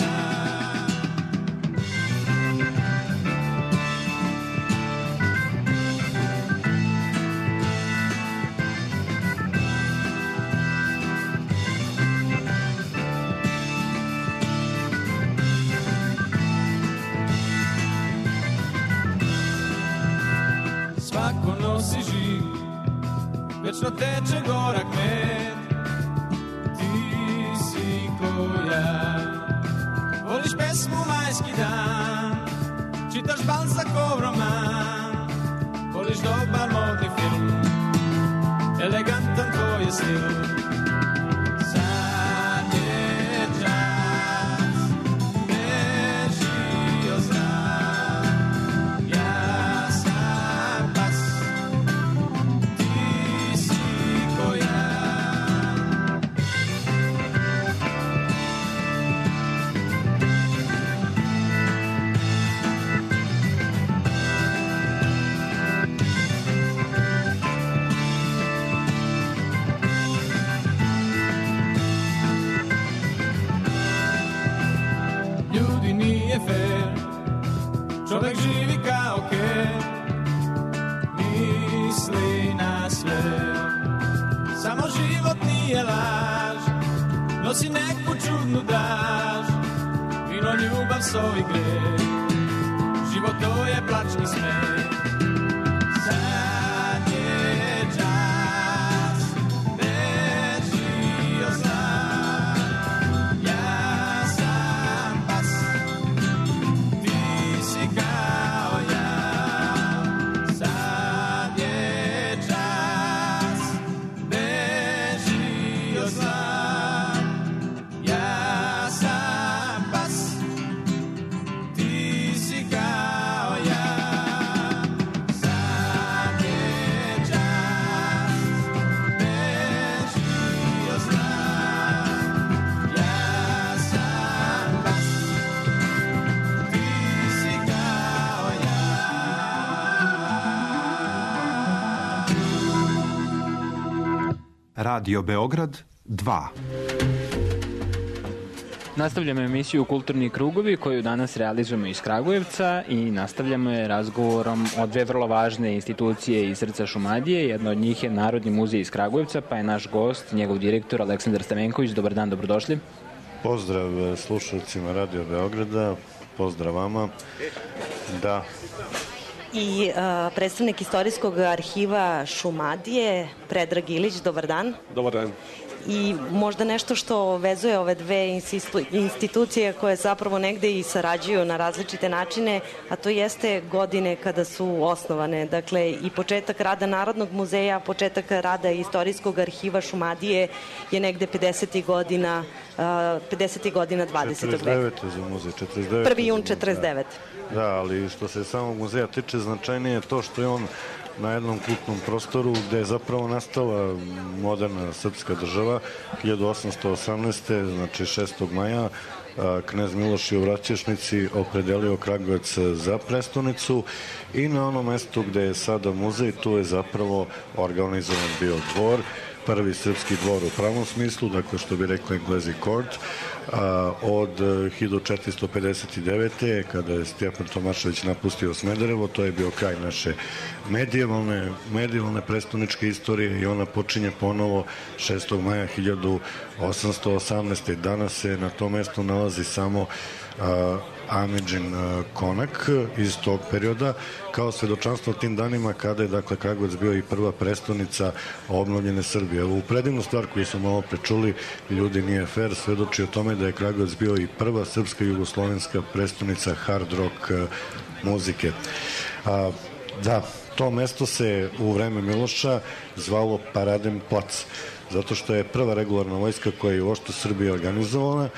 Svako nosi živ, večno teče gorak med, ti si ko ja. Voliš pesmu Majski dan, čitaš Balzacov roman, voliš dobar modni film, elegantan tvoj je stil. Sad je čas, beži od zna, ja sam pas, ti si ko ja. Ljudi nije fair, čovek živi kao ker, misli na sve, samo život nije laž, nosi neku čudnu daž, vino, ljubav, sovi greh, život to je plač i smeh. Sad je čas, beži od zla, ja sam pas, ti si kao ja. Sad je čas, beži od zla, ja sam pas, ti si kao ja. Sad je čas, beži od zla, ja sam pas, ti si kao ja. Radio Beograd 2. Nastavljamo emisiju Kulturni krugovi koju danas realizujemo iz Kragujevca i nastavljamo je razgovorom o dve vrlo važne institucije iz srca Šumadije. Jedna od njih je Narodni muzej iz Kragujevca, pa je naš gost, njegov direktor Aleksandar Stamenković. Dobar dan, dobrodošli. Pozdrav slušalcima Radio Beograda, pozdrav vama. Da. I predstavnik Istorijskog arhiva Šumadije, Predrag Ilić, dobar dan. Dobar dan. I možda nešto što vezuje ove dve institucije koje zapravo negde i sarađuju na različite načine, a to jeste godine kada su osnovane. Dakle, i početak rada Narodnog muzeja, početak rada Istorijskog arhiva Šumadije je negde 50. godina 20. veka. 49. za muzej, 49. 1. jun 49. Da, ali što se samog muzeja tiče, značajnije je to što je on na jednom kultnom prostoru gde je zapravo nastala moderna srpska država 1818. znači 6. maja knez Miloš je u Vraćešnici opredelio Kragujevac za prestonicu i na onom mestu gde je sada muzej tu je zapravo organizovan bio dvor, prvi srpski dvor u pravom smislu, dakle što bi rekli Englezi court, od 1459. kada je Stjepan Tomašević napustio Smederevo, to je bio kraj naše medievalne prestoničke istorije i ona počinje ponovo 6. maja 1818. Danas se na tom mestu nalazi samo Amidžin konak iz tog perioda kao svedočanstvo tim danima kada je dakle Kragujevac bio i prva prestonica obnovljene Srbije. U predivnu stvar koju smo malo prečuli, ljudi nije fair, svedoči o tome da je Kragujevac bio i prva srpska jugoslovenska prestonica hard rock muzike. Da, to mesto se u vreme Miloša zvalo Paradem plac, zato što je prva regularna vojska koja je uopšte Srbije organizovana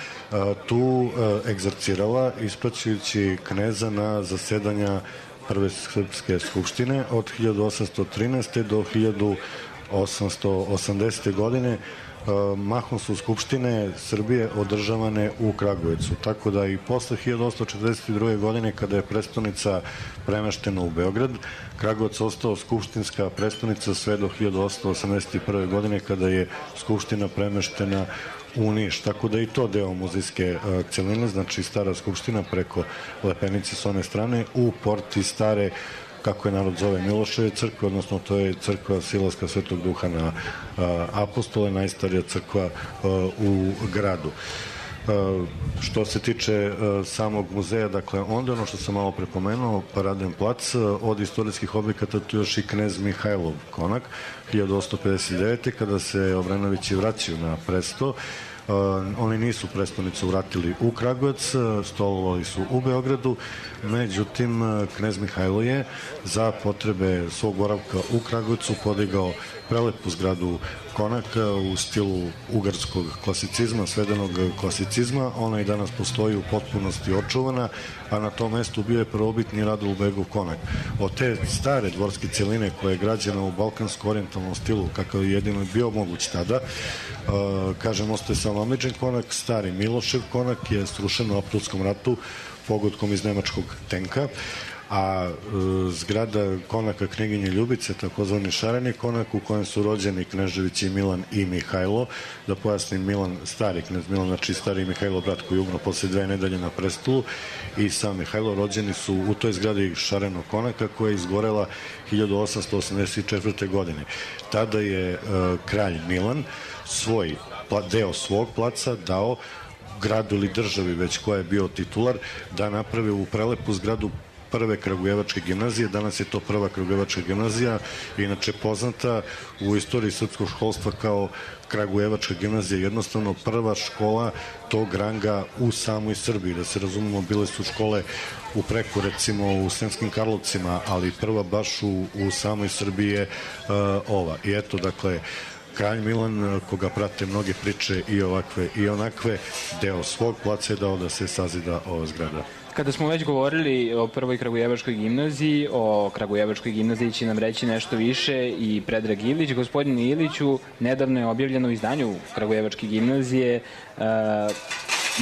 tu egzercirala ispraćujući kneza na zasedanja prve srpske skupštine od 1813. do 1880. godine. Mahom su skupštine Srbije održavane u Kragujevcu, tako da i posle 1842. godine kada je prestonica premeštena u Beograd, Kragujevac ostao skupštinska prestonica sve do 1881. godine kada je skupština premeštena u Niš, tako da i to deo muzejske celine, znači stara skupština preko Lepenice s one strane u porti stare, kako je narod zove, Miloševe crkve, odnosno to je crkva Silaska Svetog Duha na Apostole, najstarija crkva u gradu. Što se tiče samog muzeja, dakle, onda ono što sam malo prepomenuo, Paradem plac, od istorijskih objekata tu još i knez Mihajlov konak, 1859. kada se Obrenovići vraćaju na presto. Oni nisu prestonicu vratili u Kragujevac, stolovali su u Beogradu, međutim knez Mihajlo je za potrebe svog boravka u Kragujevcu podigao prelepu zgradu konaka u stilu ugarskog klasicizma, svedenog klasicizma. Ona i danas postoji u potpunosti očuvana, a na tom mestu bio je prvobitni Radulbegov konak. Od te stare dvorske celine koja je građena u balkansko-orijentalnom stilu, kakav je jedino bio moguć tada, kažem, ostaje samo Amidžin konak, stari Milošev konak je srušen u Aprilskom ratu pogodkom iz nemačkog tenka, a zgrada konaka knjeginje Ljubice, takozvani šareni konak u kojem su rođeni Kneževići Milan i Mihajlo. Da pojasnim, Milan, stari knez Milan, znači stari Mihajlo brat koji je umro posle 2 nedelje na prestolu, i sam Mihajlo rođeni su u toj zgradi šarenog konaka koja je izgorela 1884. godine. Tada je kralj Milan deo svog placa dao gradu ili državi, već koja je bio titular, da naprave u prelepu zgradu prve Kragujevačke gimnazije. Danas je to prva Kragujevačka gimnazija, inače poznata u istoriji srpskog školstva kao Kragujevačka gimnazija, jednostavno prva škola tog ranga u samoj Srbiji. Da se razumemo, bile su škole u preko, recimo u Sremskim Karlovcima, ali prva baš u samoj Srbiji je ova. I eto, dakle, kralj Milan, koga prate mnoge priče i ovakve i onakve, deo svog placa je dao da se sazida ova zgrada. Kada smo već govorili o prvoj Kragujevačkoj gimnaziji, o Kragujevačkoj gimnaziji će nam reći nešto više i Predrag Ilić. Gospodine Iliću, nedavno je objavljeno u izdanju Kragujevačke gimnazije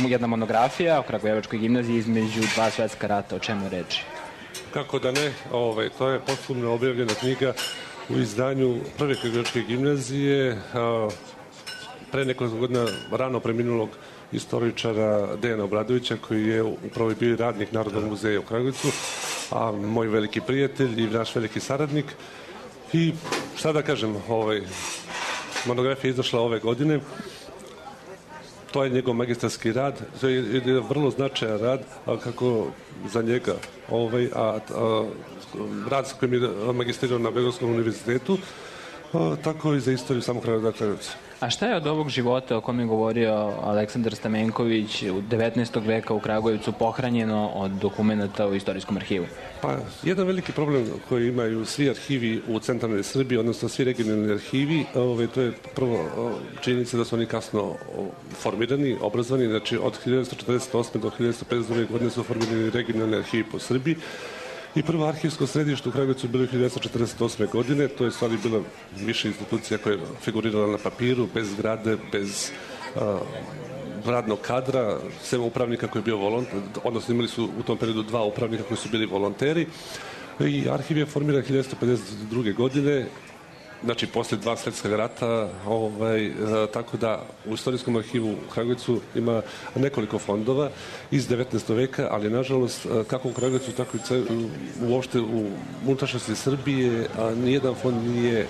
jedna monografija o Kragujevačkoj gimnaziji između 2 svetska rata. O čemu reči? Kako da ne, to je potpuno objavljena knjiga u izdanju prve Kragujevačke gimnazije pre nekoliko godina rano preminulog istoričara Dejana Obradovića, koji je upravo bio radnik Narodnog muzeja u Kragujevcu, a moj veliki prijatelj i naš veliki saradnik. I šta da kažem, monografija je izašla ove godine. To je njegov magistarski rad, to je vrlo značajan rad, kako za njega, rad s kojim je magistrirao na Beogradskom univerzitetu, tako i za istoriju samog Kragujevca. A šta je od ovog života o kom je govorio Aleksandar Stamenković u 19. veka u Kragujevcu pohranjeno od dokumenta u Istorijskom arhivu? Pa, jedan veliki problem koji imaju svi arhivi u centralnoj Srbiji, odnosno svi regionalni arhivi, to je prvo činjenica da su oni kasno formirani, obrazovani, znači od 1948. do 1952. godine su formirani regionalni arhivi po Srbiji I prvo arhivsko središte u Kragujevcu bilo 1948. godine, to je stvari bila više institucija koja je figurirala na papiru, bez zgrade, bez radnog kadra, sem upravnika koji je bio volonter, odnosno imali su u tom periodu 2 upravnika koji su bili volonteri i arhiv je formiran 1952. godine, znači posle 2 svjetska rata, tako da u istorijskom arhivu u Kragujevcu ima nekoliko fondova iz 19. veka, ali nažalost kako u Kragujevcu, tako i uopšte u unutrašnjosti Srbije, nijedan fond nije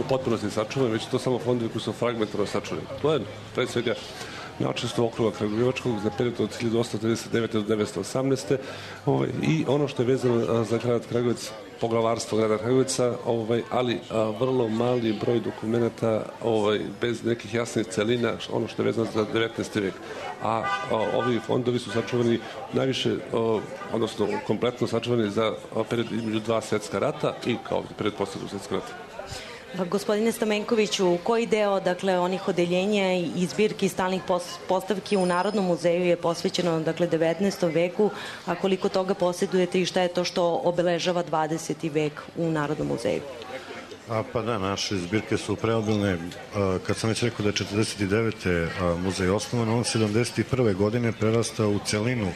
u potpunosti sačuvan, već to samo fondovi koji su fragmentarno sačuvani. To je pre svega Načelstvo okruga Kragujevačkog za period od 1839. do 1918. I ono što je vezano za grad Kragujevac, poglavarstvo grada Kragujevca, ali vrlo mali broj dokumenta bez nekih jasnih celina, ono što je vezano za 19. vek. A ovi fondovi su sačuvani najviše, odnosno kompletno sačuvani za period između 2 svjetska rata i kao period posle 2 svjetskog rata. Gospodine Stamenkoviću, koji deo, dakle, onih odeljenja i zbirki stalnih postavki u Narodnom muzeju je posvećeno, dakle, 19. veku, a koliko toga posjedujete i šta je to što obeležava 20. vek u Narodnom muzeju? Pa da, naše zbirke su preobilne. Kad sam već rekao da je 49. muzej osnovan, on 71. godine prerastao u celinu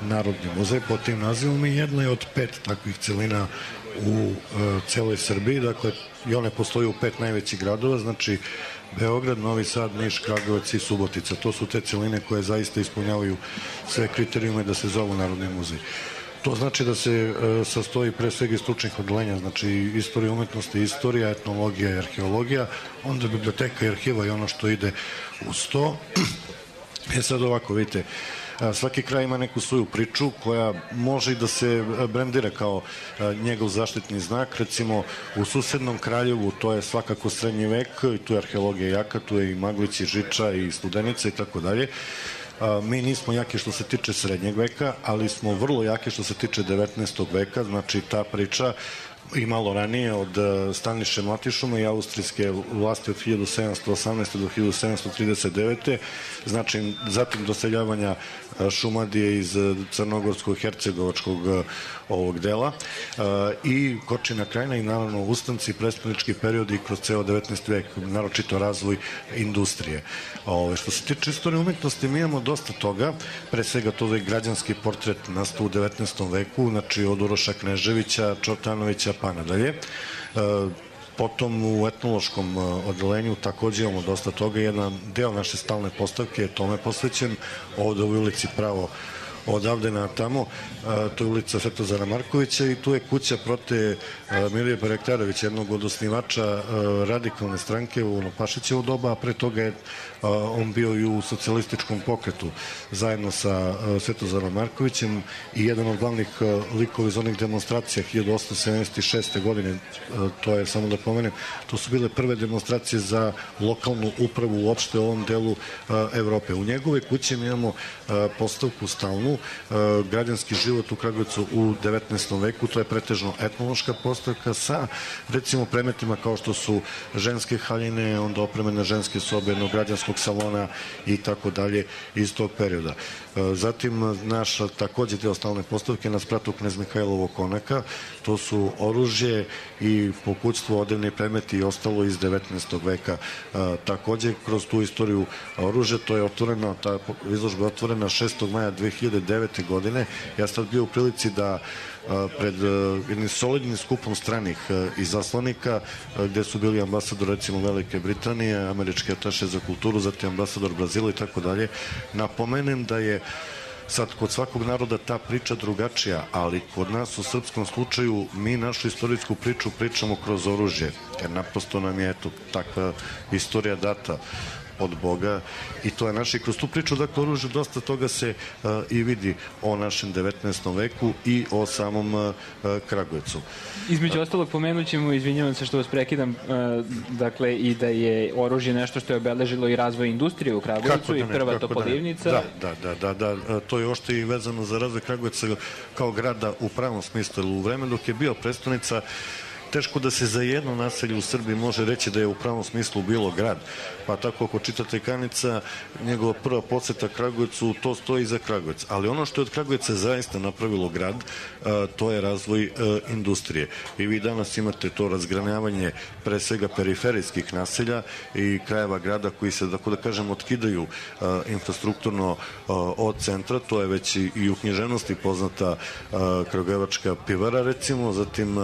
Narodni muzej pod tim nazivom i jedna je od 5 takvih celina u celoj Srbiji, dakle i one postoje u 5 najvećih gradova, znači Beograd, Novi Sad, Niš, Kragujevac i Subotica. To su te celine koje zaista ispunjavaju sve kriterijume da se zovu Narodni muzej. To znači da se sastoji pre svega iz stručnih odeljenja, znači istorija umetnosti, istorija, etnologija i arheologija, onda biblioteka i arhiva i ono što ide uz to. Sad ovako, vidite, svaki kraj ima neku svoju priču koja može i da se brendira kao njegov zaštitni znak. Recimo u susednom Kraljevu to je svakako srednji vek i tu je arheologija jaka, tu je i Maglić i Žiča i Studenica i tako dalje. Mi nismo jaki što se tiče srednjeg veka, ali smo vrlo jaki što se tiče 19. veka, znači ta priča i malo ranije od Staniše Mlatišuma i austrijske vlasti od 1718. do 1739. Znači, zatim doseljavanja Šumadije iz crnogorskog, hercegovačkog ovog dela i Kočina krajina i naravno ustanci, prestonički periodi kroz ceo 19. vek, naročito razvoj industrije. Što se tiče istorije umetnosti, mi imamo dosta toga, pre svega to je građanski portret nastao u 19. veku, znači od Uroša Kneževića, Čortanovića pa nadalje. Potom u etnološkom odelenju takođe imamo dosta toga. Jedan deo naše stalne postavke je tome posvećen, ovde u ulici pravo odavde na tamo, to je ulica Svetozara Markovića i tu je kuća Prote Milije Barektarevića, jednog od osnivača radikalne stranke u Pašićevo doba, a pre toga je on bio i u socijalističkom pokretu zajedno sa Svetozarom Markovićem i jedan od glavnih likova iz onih demonstracija 1876. godine, to je, samo da pomenem, to su bile prve demonstracije za lokalnu upravu uopšte u ovom delu Evrope. U njegove kuće mi imamo postavku stalnu, građanski život u Kragujevcu u 19. veku, to je pretežno etnološka postavka sa, recimo, predmetima kao što su ženske haljine, onda opremene ženske sobe, jednog građanskog salona i tako dalje iz tog perioda. Zatim naš takođe deo stalne postavke na spratu Knez Mihajlovog konaka, to su oružje i pokućstvo, odevni predmeti i ostalo iz 19. veka. Takođe kroz tu istoriju oružja, to je otvoreno, ta izložba je otvorena 6. maja 2009. godine. Ja sam bio u prilici da pred jednim solidnim skupom stranih izaslanika, gde su bili ambasador recimo Velike Britanije, američki ataše za kulturu, zatim ambasador Brazila i tako dalje, napomenem da je sad kod svakog naroda ta priča drugačija, ali kod nas u srpskom slučaju mi našu istorijsku priču pričamo kroz oružje, jer naprosto nam je takva istorija data od Boga i to je naš. I kroz tu priču, dakle, oružje, dosta toga se i vidi o našem 19. veku i o samom Kragujevcu. Između ostalog pomenut ćemo, izvinjavam se što vas prekidam, dakle, i da je oružje nešto što je obeležilo i razvoj industrije u Kragujevcu i prva Topolivnica. Da, to je ošte i vezano za razvoj Kragujevca kao grada u pravom smislu. U vreme dok je bio prestonica, teško da se za jedno naselje u Srbiji može reći da je u pravom smislu bilo grad. Pa tako ako čitate Kanica, njegova prva podseta Kragujevcu, to stoji iza Kragujevca. Ali ono što je od Kragujevca zaista napravilo grad, to je razvoj industrije. I vi danas imate to razgranjavanje pre svega periferijskih naselja i krajeva grada koji se, tako da kažem, otkidaju infrastrukturno od centra. To je već i u književnosti poznata kragujevačka pivara, recimo, zatim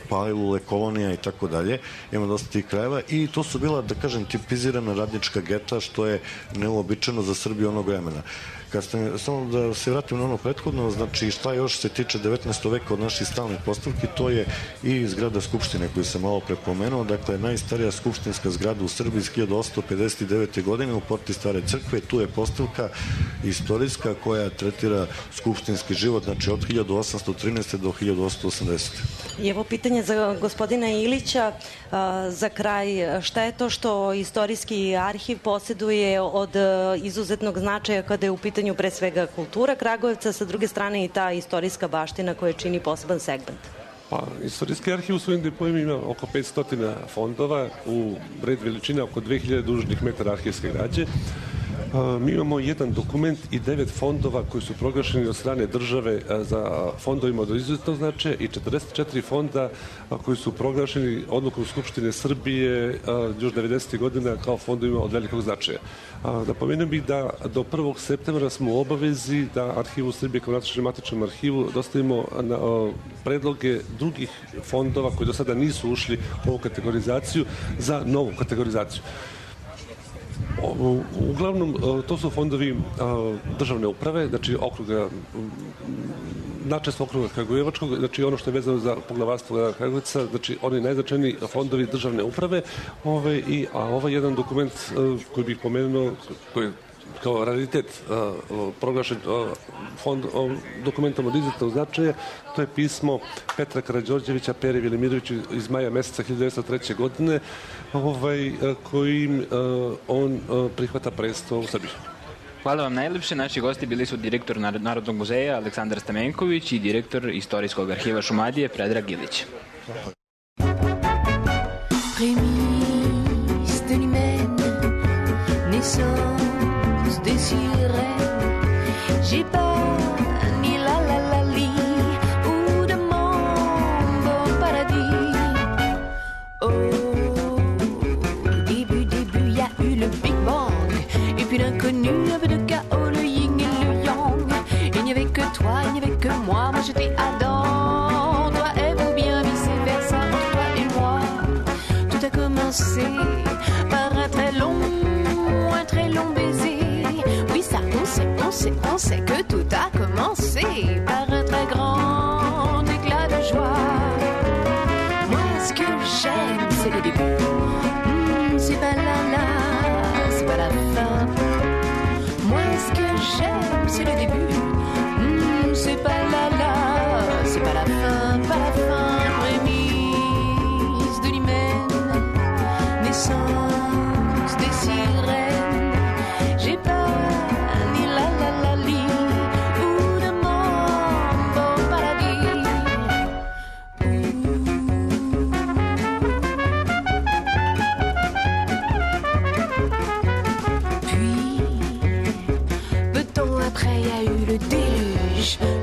Palilule, kolonija i tako dalje. Ima dosta tih krajeva i to su bila, da kažem, tipizirana radnička geta, što je neuobičajeno za Srbiju onog vremena. Samo da se vratim na ono prethodno, znači šta još se tiče 19. veka od naših stalnih postavki, to je i zgrada Skupštine koju sam malo prepomenuo, dakle najstarija skupštinska zgrada u Srbiji iz 1859. godine u porti Stare crkve, tu je postavka istorijska koja tretira skupštinski život, znači od 1813. do 1880. I evo pitanje za gospodina Ilića, za kraj, šta je to što istorijski arhiv posjeduje od izuzetnog značaja kada je u pitanju pre svega kultura Kragujevca, sa druge strane i ta istorijska baština koja čini poseban segment? Pa, istorijski arhiv u svojim deponima ima oko 500 fondova, u red veličine oko 2000 dužnih metara arhivske građe. Mi imamo jedan dokument i 9 fondova koji su proglašeni od strane države za fondovima od izuzetnog značaja i 44 fonda koji su proglašeni odlukom Skupštine Srbije još 90. godina kao fondovima od velikog značaja. Napomenuo bih da do 1. septembra smo u obavezi da Arhivu Srbije kao matičnom arhivu dostavimo predloge drugih fondova koji do sada nisu ušli u ovu kategorizaciju za novu kategorizaciju. Uglavnom, to su fondovi državne uprave, znači okruga, načestvo okruga Kragujevačkog, znači ono što je vezano za poglavarstvo Kragujevca, znači oni najznačajniji fondovi državne uprave, a ovaj jedan dokument koji bih pomenuo, koji je kao raritet proglašen dokumentom od izuzetnog značaja, to je pismo Petra Karađorđevića Peri Velimiroviću iz maja meseca 1903. godine, kojim on prihvata presto u Srbiji. Hvala vam najlepše. Naši gosti bili su direktor Narodnog muzeja Aleksandar Stamenković i direktor Istorijskog arhiva Šumadije Predrag Ilić. J'ai pas ni la la la li ou de mon beau paradis. Au début, y a eu le Big Bang. Et puis l'inconnu, un peu de chaos, le yin et le yang. Il n'y avait que toi, il n'y avait que moi. Moi j'étais Adam, toi Ève ou bien vice-versa. Entre toi et moi, tout a commencé par un très long baiser. Oui, ça, on sait que tout a commencé par un très grand éclat de joie. Moi, ce que j'aime, c'est le début. C'est pas c'est pas la fin. Moi, ce que j'aime, c'est le début. C'est pas c'est pas la fin, pas la fin. Prémisse de l'hymen, naissance des sirènes. J'ai pas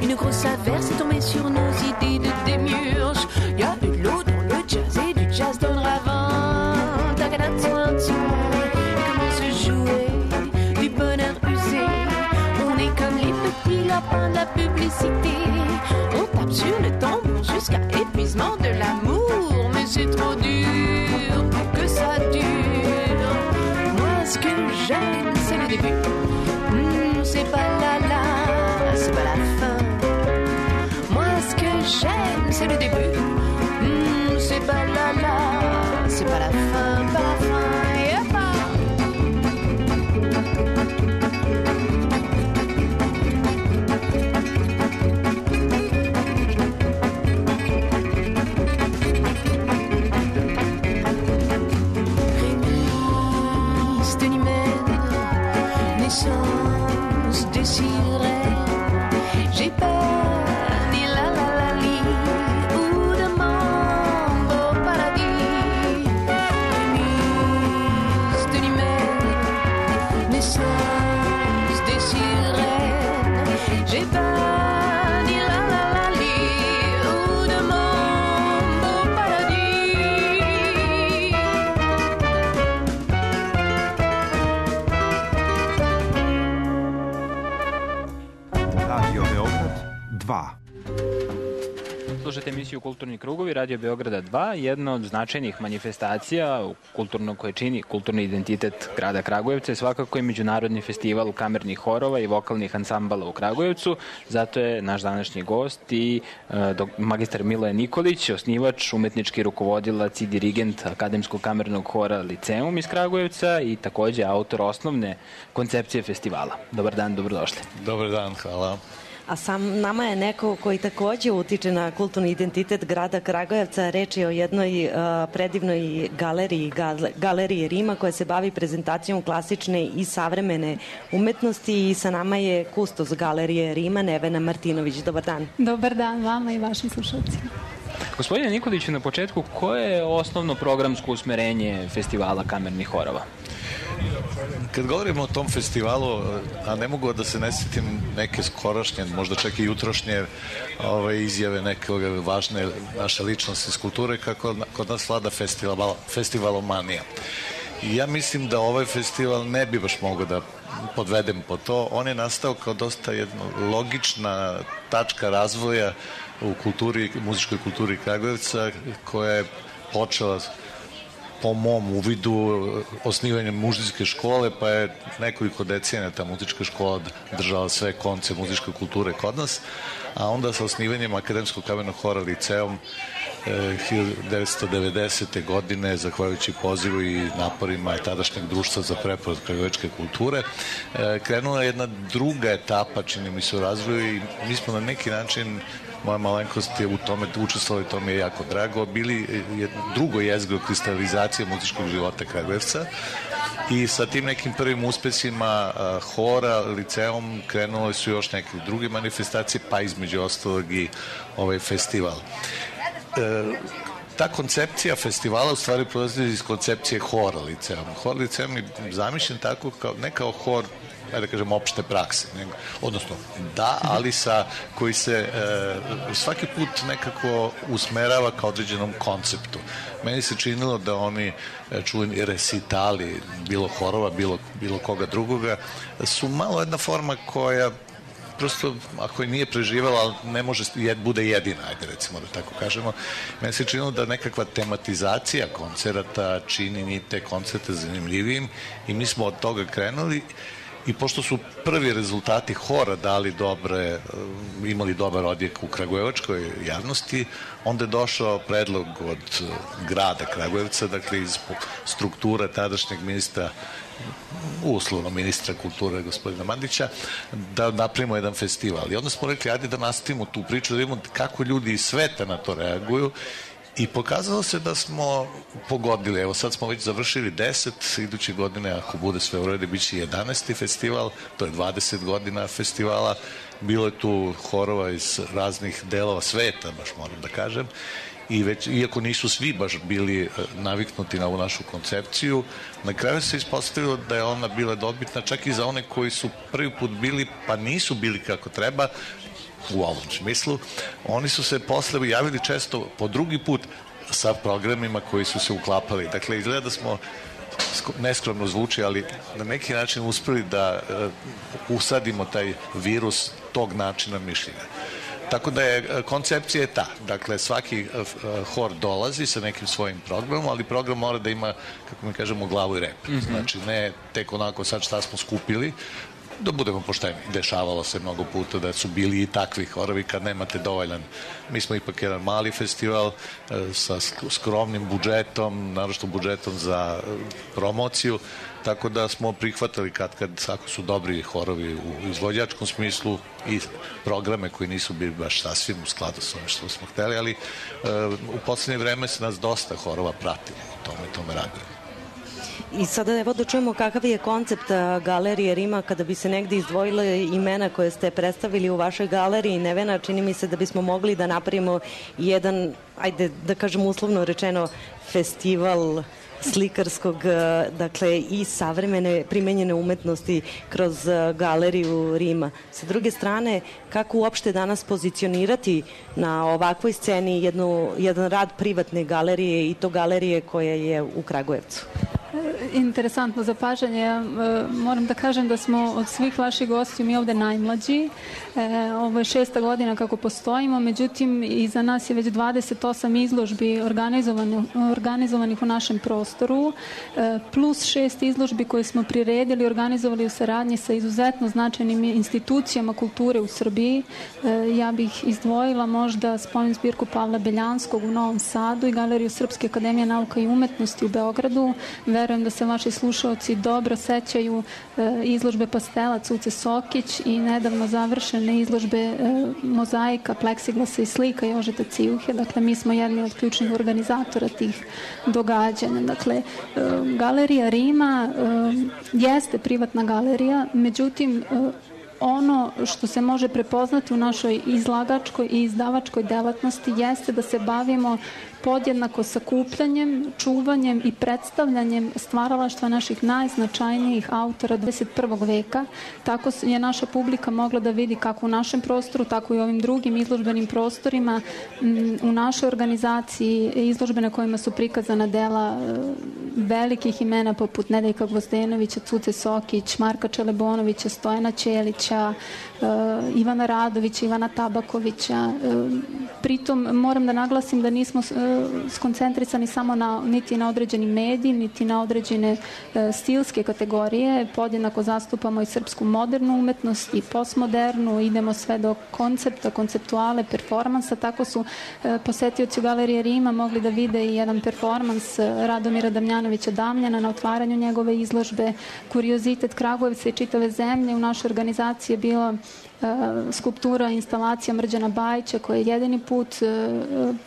une grosse averse est tombée sur nos idées de démiurge. Y a eu de l'eau dans le jazz et du jazz dans le ravin. Comment se jouer du bonheur usé? On est comme les petits lapins de la publicité. On tape sur le tambour jusqu'à épuisement de l'amour. Mais c'est trop dur pour que ça dure. Moi ce que j'aime c'est le début. C'est pas c'est pas la fin. Moi ce que j'aime c'est le début. C'est pas c'est pas la fin, pas la fin. Prémisse de l'hymen, naissance des sirènes. J'ai pas ni la li ou de mon pas ni la la la li ou de mon beau paradis. Radio Beograd 2. Slušajte emisiju Kulturni krugovi, Radio Beograda 2, jedna od značajnih manifestacija koje čini kulturni identitet grada Kragujevca je svakako i Međunarodni festival kamernih horova i vokalnih ansambala u Kragujevcu. Zato je naš današnji gost i magistar Miloje Nikolić, osnivač, umetnički rukovodilac i dirigent Akademskog kamernog hora Liceum iz Kragujevca i takođe autor osnovne koncepcije festivala. Dobar dan, dobrodošli. Dobar dan, hvala. A sam nama je neko koji takođe utiče na kulturni identitet grada Kragujevca. Reč je o jednoj predivnoj galeriji Rima koja se bavi prezentacijom klasične i savremene umetnosti i sa nama je kustos galerije Rima Nevena Martinović. Dobar dan. Dobar dan vama i vašim slušalcima. Gospodine Nikoliću, na početku, koje je osnovno programsko usmerenje festivala kamernih horova? Kad govorimo o tom festivalu, a ne mogu da se ne sjetim neke skorašnje, možda čak i jutrošnje izjave neke važne naše ličnosti iz kulture, kako kod nas vlada festivalomanija. I ja mislim da ovaj festival ne bi baš mogao da podvedem po to. On je nastao kao dosta jedna logična tačka razvoja u muzičkoj kulturi Kragujevca, koja je počela po mom uvidu osnivanjem muzičke škole, pa je nekoliko decenija ta muzička škola držala sve konce muzičke kulture kod nas, a onda sa osnivanjem Akademskog kamernog hora Liceum 1990. godine, zahvaljujući pozivu i naporima tadašnjeg društva za preporod kragujevačke kulture, krenula jedna druga etapa, čini mi se, u razvoju i mi smo na neki način, moja malenkost je u tome učestvovala i to mi je jako drago, bili drugo jezgro kristalizacije muzičkog života Kragujevca i sa tim nekim prvim uspesima hora, Liceum, krenule su još neke druge manifestacije, pa između ostalog i ovaj festival. Ta koncepcija festivala u stvari proizlazi iz koncepcije hora Liceum. Hor Liceum je zamišljen tako ne kao hor, da kažem, opšte prakse, odnosno da, ali koji se svaki put nekako usmerava ka određenom konceptu. Meni se činilo da oni čuveni resitali, bilo horova, bilo koga drugoga, su malo jedna forma koja prosto, ako je nije preživala, ne može bude jedina, ajde recimo da tako kažemo. Meni se činilo da nekakva tematizacija koncerata čini te koncerte zanimljivijim i mi smo od toga krenuli. I pošto su prvi rezultati hora imali dobar odjek u kragujevačkoj javnosti, onda je došao predlog od grada Kragujevca, dakle iz strukture tadašnjeg uslovno ministra kulture gospodina Mandića, da napravimo jedan festival. I onda smo rekli, ajde da nastavimo tu priču, da vidimo kako ljudi iz sveta na to reaguju. I pokazalo se da smo pogodili. Evo sad smo već završili 10, iduće godine, ako bude sve u redu, bit će 11. festival, to je 20 godina festivala. Bilo je tu horova iz raznih delova sveta, baš moram da kažem. Iako nisu svi baš bili naviknuti na ovu našu koncepciju, na kraju se ispostavilo da je ona bila dobitna čak i za one koji su prvi put bili, pa nisu bili kako treba, u ovom smislu. Oni su se posle javili često po drugi put sa programima koji su se uklapali. Dakle, izgleda da smo, neskromno zvuči, ali na neki način uspeli da usadimo taj virus tog načina mišljenja. Tako da je koncepcija je ta. Dakle, svaki hor dolazi sa nekim svojim programom, ali program mora da ima, kako mi kažemo, glavu i rep. Znači, ne tek onako sad šta smo skupili, da budemo pošteni. Dešavalo se mnogo puta da su bili i takvi horovi kad nemate dovoljan. Mi smo ipak jedan mali festival sa skromnim budžetom, naročito budžetom za promociju, tako da smo prihvatali kad ako su dobri horovi u izvođačkom smislu i programe koji nisu bili baš sasvim u skladu sa ovim što smo hteli, ali u poslednje vreme se nas dosta horova pratilo u tome radimo. I sada evo da čujemo kakav je koncept galerije Rima, kada bi se negde izdvojile imena koje ste predstavili u vašoj galeriji. Nevena, čini mi se da bismo mogli da napravimo jedan, ajde da kažem uslovno rečeno, festival slikarskog, dakle i savremene primenjene umetnosti kroz galeriju Rima. Sa druge strane, kako uopšte danas pozicionirati na ovakvoj sceni jedan rad privatne galerije i to galerije koja je u Kragujevcu? Interesantno zapažanje. Moram da kažem da smo od svih vaših gostiju mi ovde najmlađi. Ovo je 6. godina kako postojimo, međutim iza nas je već 28 izložbi organizovanih u našem prostoru, plus 6 izložbi koje smo priredili i organizovali u saradnji sa izuzetno značajnim institucijama kulture u Srbiji. Ja bih izdvojila možda spomen zbirku Pavla Beljanskog u Novom Sadu i Galeriju Srpske akademije nauka i umetnosti u Beogradu. Verujem da se vaši slušaoci dobro sećaju izložbe pastela Cuce Sokić i nedavno završene izložbe mozaika, pleksiglasa i slika Jožeta Cijuhe. Dakle, mi smo jedni od ključnih organizatora tih događanja. Dakle, Galerija Rima jeste privatna galerija, međutim, ono što se može prepoznati u našoj izlagačkoj i izdavačkoj delatnosti jeste da se bavimo podjednako sakupljanjem, čuvanjem i predstavljanjem stvaralaštva naših najznačajnijih autora 21. veka. Tako je naša publika mogla da vidi kako u našem prostoru, tako i u ovim drugim izložbenim prostorima, u našoj organizaciji izložbe na kojima su prikazana dela velikih imena poput Nedeljka Gvozdenovića, Cuce Sokić, Marka Čelebonovića, Stojana Ćelića, Ivana Radovića, Ivana Tabakovića. Pritom moram da naglasim da nismo skoncentrisani samo niti na određeni medij, niti na određene stilske kategorije. Podjednako zastupamo i srpsku modernu umetnost i postmodernu, idemo sve do koncepta, konceptuale, performansa. Tako su posetioci u Galerije Rima mogli da vide i jedan performans Radomira Damjanovića Damljana na otvaranju njegove izložbe. Kuriozitet Kragujevca i čitave zemlje u našoj organizaciji je bila skulptura, instalacija Mrđana Bajića koja je jedini put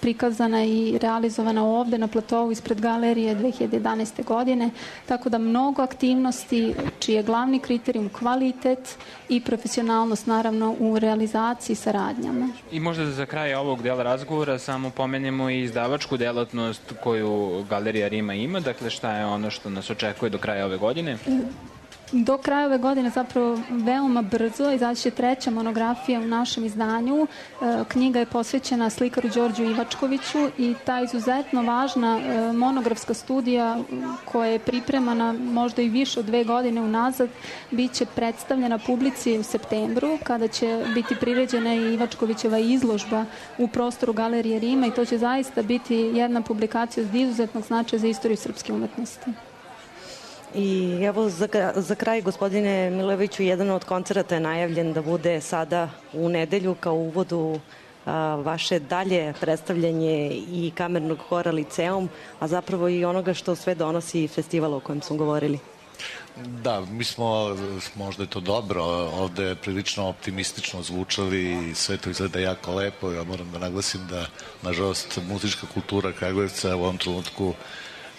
prikazana i realizovana ovde na platovu ispred galerije 2011. godine. Tako da mnogo aktivnosti čiji je glavni kriterijum kvalitet i profesionalnost naravno u realizaciji saradnjama. I možda za kraj ovog dela razgovora samo pomenemo i izdavačku delatnost koju Galerija Rima ima. Dakle, šta je ono što nas očekuje do kraja ove godine? Do kraja ove godine, zapravo veoma brzo, izaći će 3. monografija u našem izdanju. Knjiga je posvećena slikaru Đorđu Ivačkoviću i ta izuzetno važna monografska studija koja je pripremana možda i više od 2 godine unazad, bit će predstavljena publici u septembru, kada će biti priređena i Ivačkovićeva izložba u prostoru Galerije Rima i to će zaista biti jedna publikacija od izuzetnog značaja za istoriju srpske umetnosti. I evo za kraj, gospodine Milojeviću, jedan od koncerata je najavljen da bude sada u nedelju kao uvodu vaše dalje predstavljanje i kamernog hora Liceum, a zapravo i onoga što sve donosi festival o kojem smo govorili. Da, mi smo, možda je to dobro, ovde prilično optimistično zvučali i sve to izgleda jako lepo. Ja moram da naglasim da, nažalost, muzička kultura Kragujevca u ovom trenutku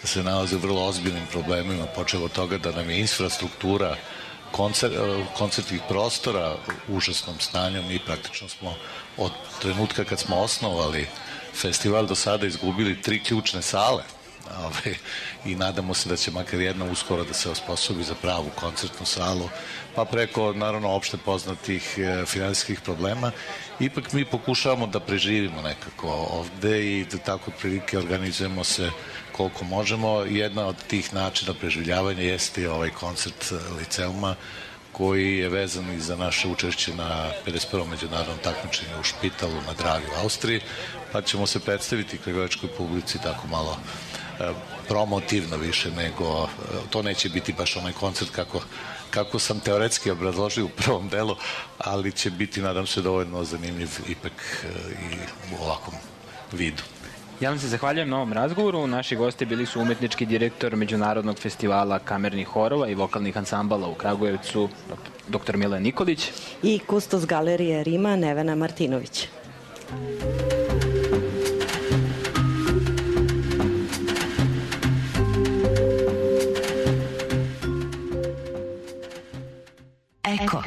se nalazi u vrlo ozbiljnim problemima, počeo od toga da nam je infrastruktura koncertnih prostora u užasnom stanju. Mi praktično smo od trenutka kad smo osnovali festival do sada izgubili 3 ključne sale i nadamo se da će makar jedna uskoro da se osposobi za pravu koncertnu salu, pa preko naravno opšte poznatih finansijskih problema. Ipak mi pokušavamo da preživimo nekako ovde i da tako prilike organizujemo se koliko možemo. Jedna od tih načina preživljavanja jeste i ovaj koncert Liceuma koji je vezan i za naše učešće na 51. međunarodnom takmičenju u Špitalu na Dravi u Austriji, pa ćemo se predstaviti kragujevačkoj publici tako malo promotivno više nego, to neće biti baš onaj koncert kako sam teoretski obrazložio u prvom delu, ali će biti, nadam se, dovoljno zanimljiv ipak i u ovakvom vidu. Ja vam se zahvaljujem na ovom razgovoru. Naši gosti bili su umetnički direktor Međunarodnog festivala kamernih horova i vokalnih ansambala u Kragujevcu, dr. Milan Nikolić. I kustos Galerije Rima, Nevena Martinović. Eko.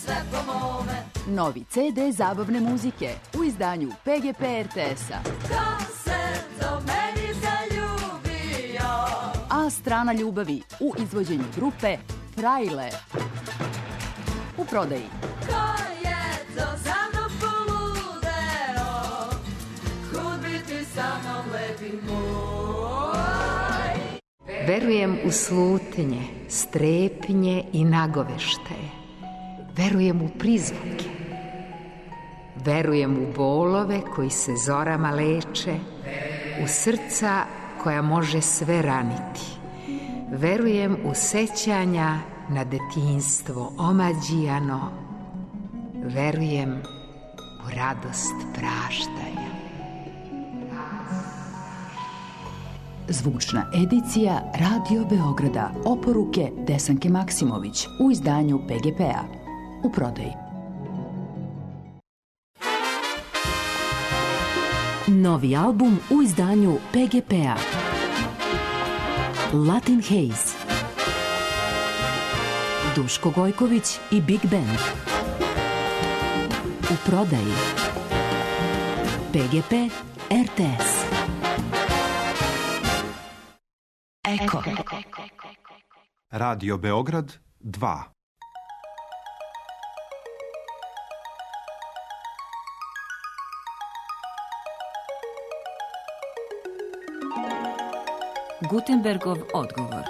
Sve po novi CD zabavne muzike u izdanju PGP RTS-a. A strana ljubavi u izvođenju grupe Frajle. U prodaji. Verujem u slutnje, strepnje i nagoveštaje. Verujem u prizvuke. Verujem u bolove koji se zorama leče, u srca koja može sve raniti. Verujem u sećanja na detinjstvo omađijano. Verujem u radost praštanja. Zvučna edicija Radio Beograda. Oporuke Desanke Maksimović u izdanju PGP-a. U prodaji. Novi album u izdanju PGP-a. Latin Haze. Duško Gojković i Big Band. U prodaji. PGP RTS. Eko. Radio Beograd 2. Gutenbergov odgovor.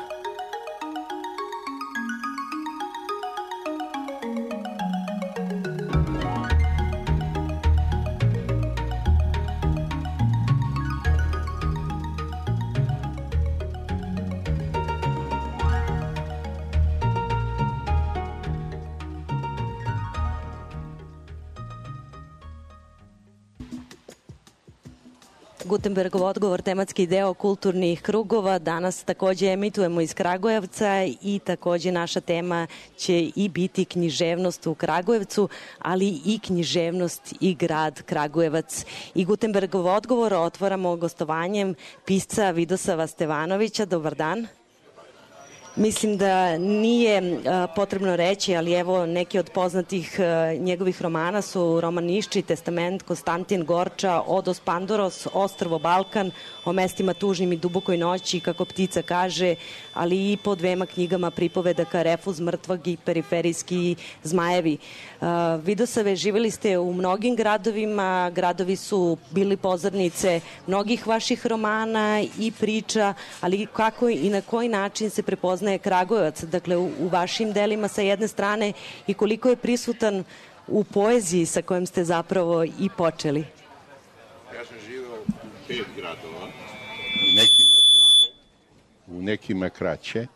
Gutenbergov odgovor, tematski deo kulturnih krugova. Danas takođe emitujemo iz Kragujevca i takođe naša tema će i biti književnost u Kragujevcu, ali i književnost i grad Kragujevac. I Gutenbergov odgovor otvaramo gostovanjem pisca Vidosava Stevanovića. Dobar dan. Mislim da nije potrebno reći, ali evo neki od poznatih njegovih romana su roman Nišči, Testament, Konstantin Gorča, Odos Pandoros, Ostrvo Balkan, o mestima tužnim i dubokoj noći, kako ptica kaže, ali i po dvema knjigama pripovedaka Refuz mrtvog i Periferijski zmajevi. Vidosave, živjeli ste u mnogim gradovima, gradovi su bili pozornice mnogih vaših romana i priča, ali kako i na koji način se prepoznaje Kragujevac, dakle u vašim delima sa jedne strane i koliko je prisutan u poeziji sa kojom ste zapravo i počeli? Ja sam živeo u 5 gradova, u nekima kraće.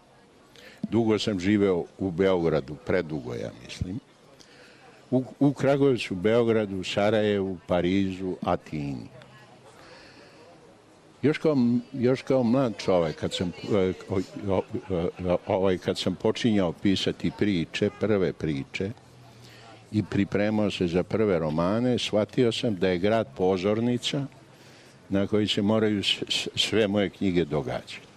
Dugo sam živeo u Beogradu, predugo ja mislim. U Kragujevcu, Beogradu, Sarajevu, Parizu, Atini. Još kao mlad čovek, kad sam počinjao pisati prve priče i pripremao se za prve romane, shvatio sam da je grad pozornica na koji se moraju sve moje knjige događati.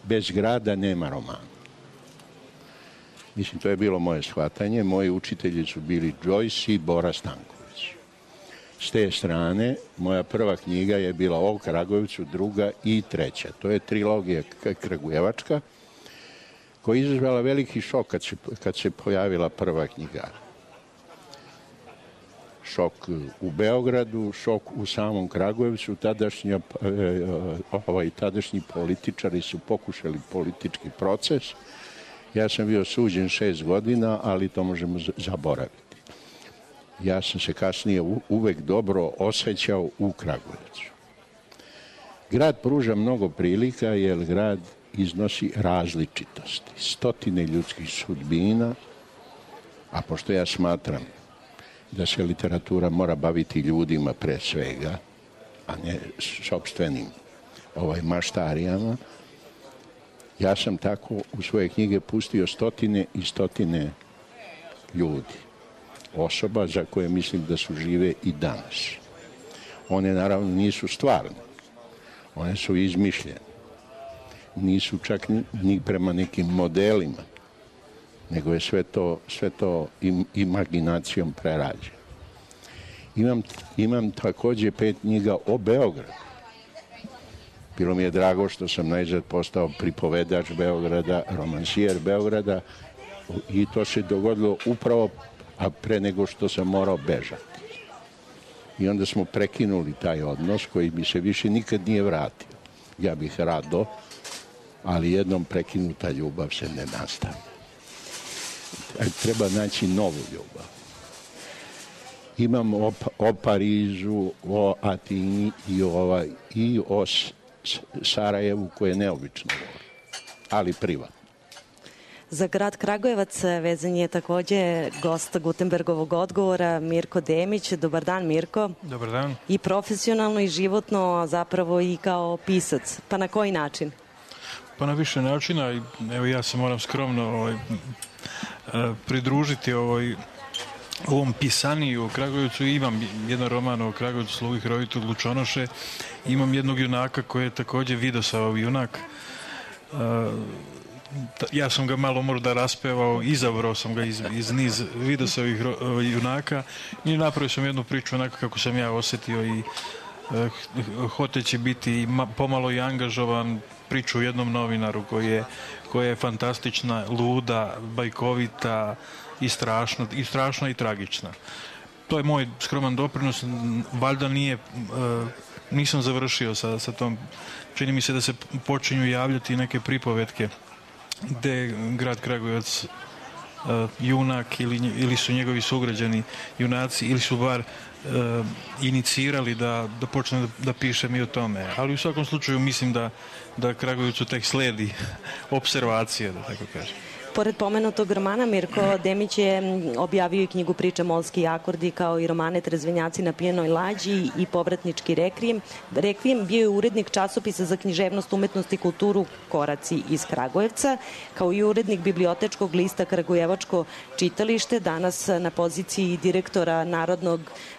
Bez grada nema romana. Mislim, to je bilo moje shvatanje. Moji učitelji su bili Joyce i Bora Stanković. S te strane, moja prva knjiga je bila o Kragujevcu, druga i treća. To je trilogija kragujevačka, koja je izazvala veliki šok kad se pojavila prva knjiga. Šok u Beogradu, šok u samom Kragujevcu. Tadašnji političari su pokušali politički proces. Ja sam bio suđen 6 godina, ali to možemo zaboraviti. Ja sam se kasnije uvek dobro osjećao u Kragujevcu. Grad pruža mnogo prilika jer grad iznosi različitosti, stotine ljudskih sudbina, a pošto ja smatram da se literatura mora baviti ljudima pre svega, a ne sopstvenim maštarijama, ja sam tako u svoje knjige pustio stotine i stotine ljudi, osoba za koje mislim da su žive i danas. One naravno nisu stvarne, one su izmišljene, nisu čak ni prema nekim modelima, nego je sve to imaginacijom prerađeno. Imam takođe 5 knjiga o Beogradu. Bilo mi je drago što sam najzad postao pripovedač Beograda, romansijer Beograda i to se dogodilo upravo pre nego što sam morao bežati. I onda smo prekinuli taj odnos koji mi se više nikad nije vratio. Ja bih rado, ali jednom prekinuta ljubav se ne nastavi. Treba naći novu ljubav. Imam o Parizu, o Atini i o Sarajevu koje je neobično volim, ali privatno. Za grad Kragujevac vezan je takođe gost Gutenbergovog odgovora Mirko Demić. Dobar dan, Mirko. Dobar dan. I profesionalno i životno, a zapravo i kao pisac. Pa na koji način? Pa na više načina. Evo ja se moram skromno pridružiti ovom pisaniju o Kragujevcu. Imam jedan roman o Kragujevcu, Slugi Hrovitu Lučonoše. Imam jednog junaka koji je takođe Vidosavov junak. Ja sam ga malo možda raspevao, izabrao sam ga iz niz Vidosavih junaka i napravio sam jednu priču onako kako sam ja osetio i hoteći biti pomalo i angažovan, priču o jednom novinaru koja je fantastična, luda, bajkovita i strašna i tragična. To je moj skroman doprinos, valjda nisam završio sa tom, čini mi se da se počinju javljati neke pripovetke gde grad Kragujevac junak ili su njegovi sugrađani junaci ili su bar inicirali da počne da pišem i o tome. Ali u svakom slučaju mislim da Kragujevcu tek sledi observacije, da tako kažem. Pored pomenutog romana, Mirko Demić je objavio i knjigu Priče Molski akordi, kao i romane Trezvenjaci na pijenoj lađi i Povratnički rekvijem. Bio je urednik časopisa za književnost, umetnost i kulturu Koraci iz Kragujevca, kao i urednik bibliotečkog lista Kragujevačko čitalište, danas na poziciji direktora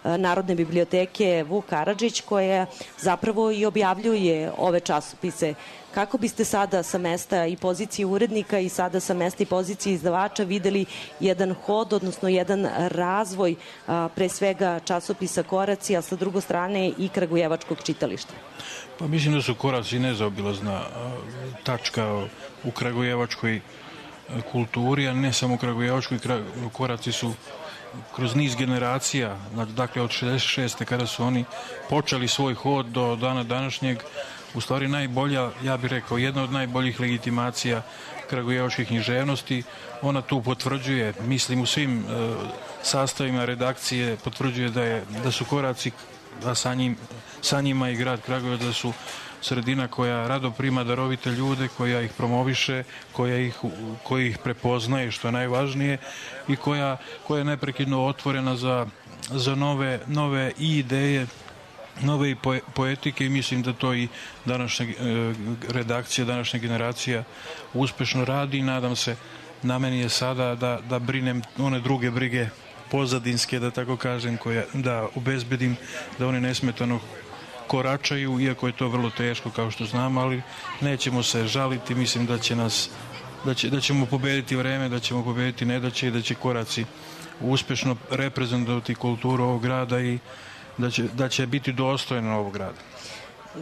Narodne biblioteke Vuk Karadžić, koja zapravo i objavljuje ove časopise. Kako biste sada sa mesta i pozicije urednika i sada sa mesta i pozicije izdavača videli jedan hod, odnosno jedan razvoj pre svega časopisa Koraci, a sa druge strane i Kragujevačkog čitališta? Pa mislim da su Koraci nezaobilazna tačka u kragujevačkoj kulturi, a ne samo u kragujevačkoj. Koraci su kroz niz generacija, dakle od 66. kada su oni počeli svoj hod do dana današnjeg, u stvari najbolja, ja bih rekao, jedna od najboljih legitimacija kragujevačkih književnosti. Ona tu potvrđuje, mislim u svim sastavima redakcije, potvrđuje da su Koraci, a sa njima i grad Kragujevac, da su sredina koja rado prima darovite ljude, koja ih promoviše, koja ih prepoznaje, što je najvažnije, i koja je neprekidno otvorena za nove i ideje, nove i poetike, i mislim da to i današnja redakcija, današnja generacija uspešno radi, i nadam se, na meni je sada da brinem one druge brige pozadinske, da tako kažem, da obezbedim da oni nesmetano koračaju, iako je to vrlo teško, kao što znam, ali nećemo se žaliti. Mislim da ćemo pobediti vreme, da ćemo pobediti nedaće i da će Koraci uspešno reprezentovati kulturu ovog grada i da će biti dostojno ovog grada.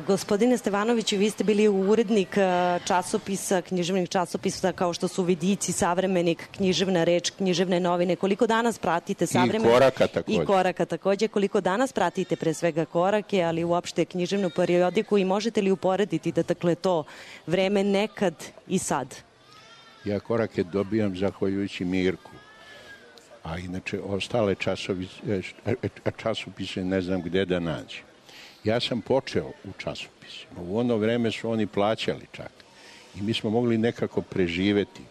Gospodine Stevanoviću, vi ste bili urednik časopisa, književnih časopisa kao što su Vidici, Savremenik, Književna reč, Književne novine. Koliko danas pratite Savremenik? I Koraka takođe. I Koraka takođe. Koliko danas pratite pre svega Korake, ali uopšte književnu periodiku, i možete li uporediti da dakle to vreme nekad i sad? Ja Korake dobijam zahvaljujući Mirku, a inače ostale časopise ne znam gde da nađem. Ja sam počeo u časopisima. U ono vreme su oni plaćali čak. I mi smo mogli nekako preživeti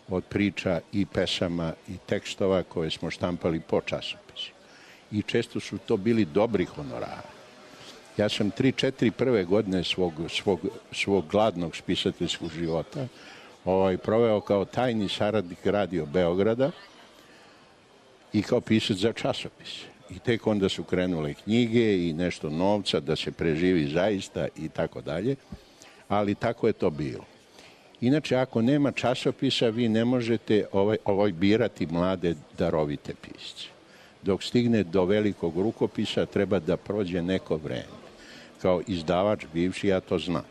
od priča i pesama i tekstova koje smo štampali po časopisu. I često su to bili dobri honorari. Ja sam 3-4 prve godine svog gladnog spisateljskog života proveo kao tajni saradnik Radio Beograda i kao pisac za časopise. I tek onda su krenule knjige i nešto novca da se preživi zaista i tako dalje, ali tako je to bilo. Inače, ako nema časopisa, vi ne možete birati mlade darovite pisce. dok stigne do velikog rukopisa treba da prođe neko vreme. Kao izdavač bivši ja to znam.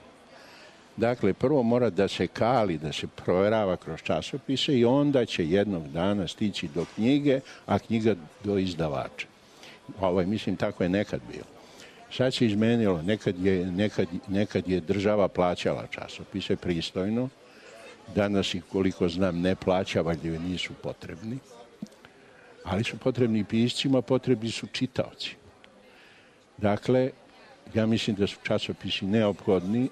Dakle, prvo mora da se kali, da se proverava kroz časopise i onda će jednog dana stići do knjige, a knjiga do izdavača. Mislim, tako je nekad bilo. Sad se izmenilo, nekad je država plaćala časopise pristojno, danas ih, koliko znam, ne plaća, valjda nisu potrebni, ali su potrebni piscima, potrebni su čitaoci. Dakle, ja mislim da su časopisi neophodni,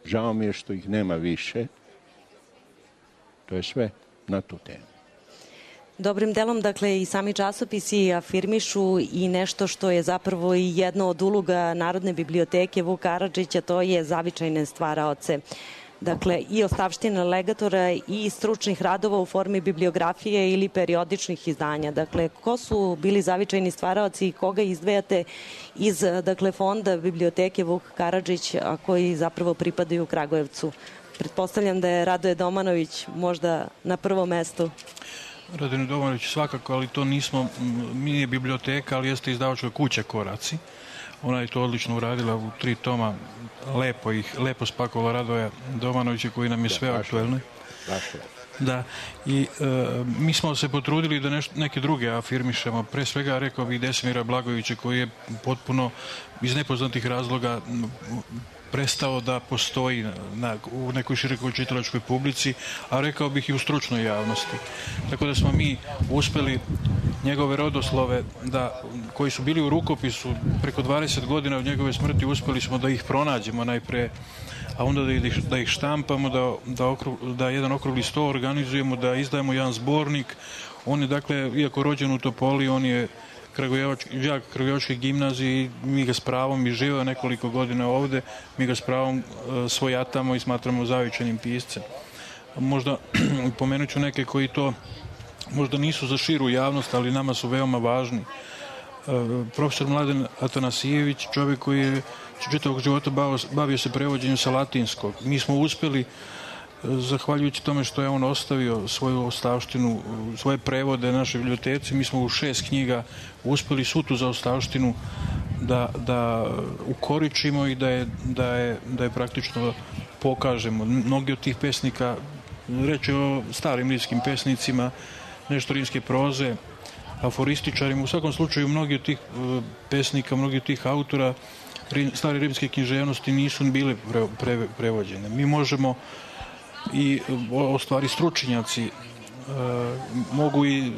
žao mi je što ih nema više, to je sve na tu temu. Dobrim delom, dakle, i sami časopisi afirmišu i nešto što je zapravo i jedno od uloga Narodne biblioteke Vuk Karadžića, to je zavičajne stvaraoce. Dakle, i ostavština legatora i stručnih radova u formi bibliografije ili periodičnih izdanja. Dakle, ko su bili zavičajni stvaraoci i koga izdvajate iz, dakle, fonda biblioteke Vuk Karadžić, a koji zapravo pripadaju Kragujevcu? Pretpostavljam da je Radoje Domanović možda na prvom mestu. Radoje Domanović svakako, ali to nije biblioteka, ali jeste izdavačka kuća Koraci. Ona je to odlično uradila u 3 toma, lepo spakovala Radoja Domanovića koji nam je sve aktuelno. Da, i mi smo se potrudili da neke druge afirmišemo. Pre svega rekao bih Desimira Blagojevića koji je potpuno iz nepoznatih razloga prestao da postoji u nekoj širokoj čitalačkoj publici, a rekao bih i u stručnoj javnosti. Tako da smo mi uspeli njegove rodoslove koji su bili u rukopisu preko 20 godina od njegove smrti, uspeli smo da ih pronađemo najpre, a onda da ih štampamo, da jedan okrugli sto organizujemo, da izdajemo jedan zbornik. On je, dakle, iako rođen u Topoli, on je đak Kragujevačke gimnazije i mi ga s pravom, i živeo nekoliko godina ovde, mi ga s pravom svojatamo i smatramo zavičajnim piscem. Možda pomenut ću neke koji to možda nisu za širu javnost, ali nama su veoma važni. Profesor Mladen Atanasijević, čovjek koji je čitavog života bavio se prevođenjem sa latinskog. Mi smo uspeli, zahvaljujući tome što je on ostavio svoju ostavštinu, svoje prevode našoj biblioteci, mi smo u 6 knjiga uspeli svu tu zaostavštinu da ukoričimo i da je praktično pokažemo. Mnogi od tih pesnika, reč je o starim rimskim pesnicima, nešto rimske proze, aforističarima, u svakom slučaju mnogi od tih pesnika, mnogi od tih autora stare rimske književnosti nisu bile prevođene. Mi možemo i ostvari stručnjaci mogu i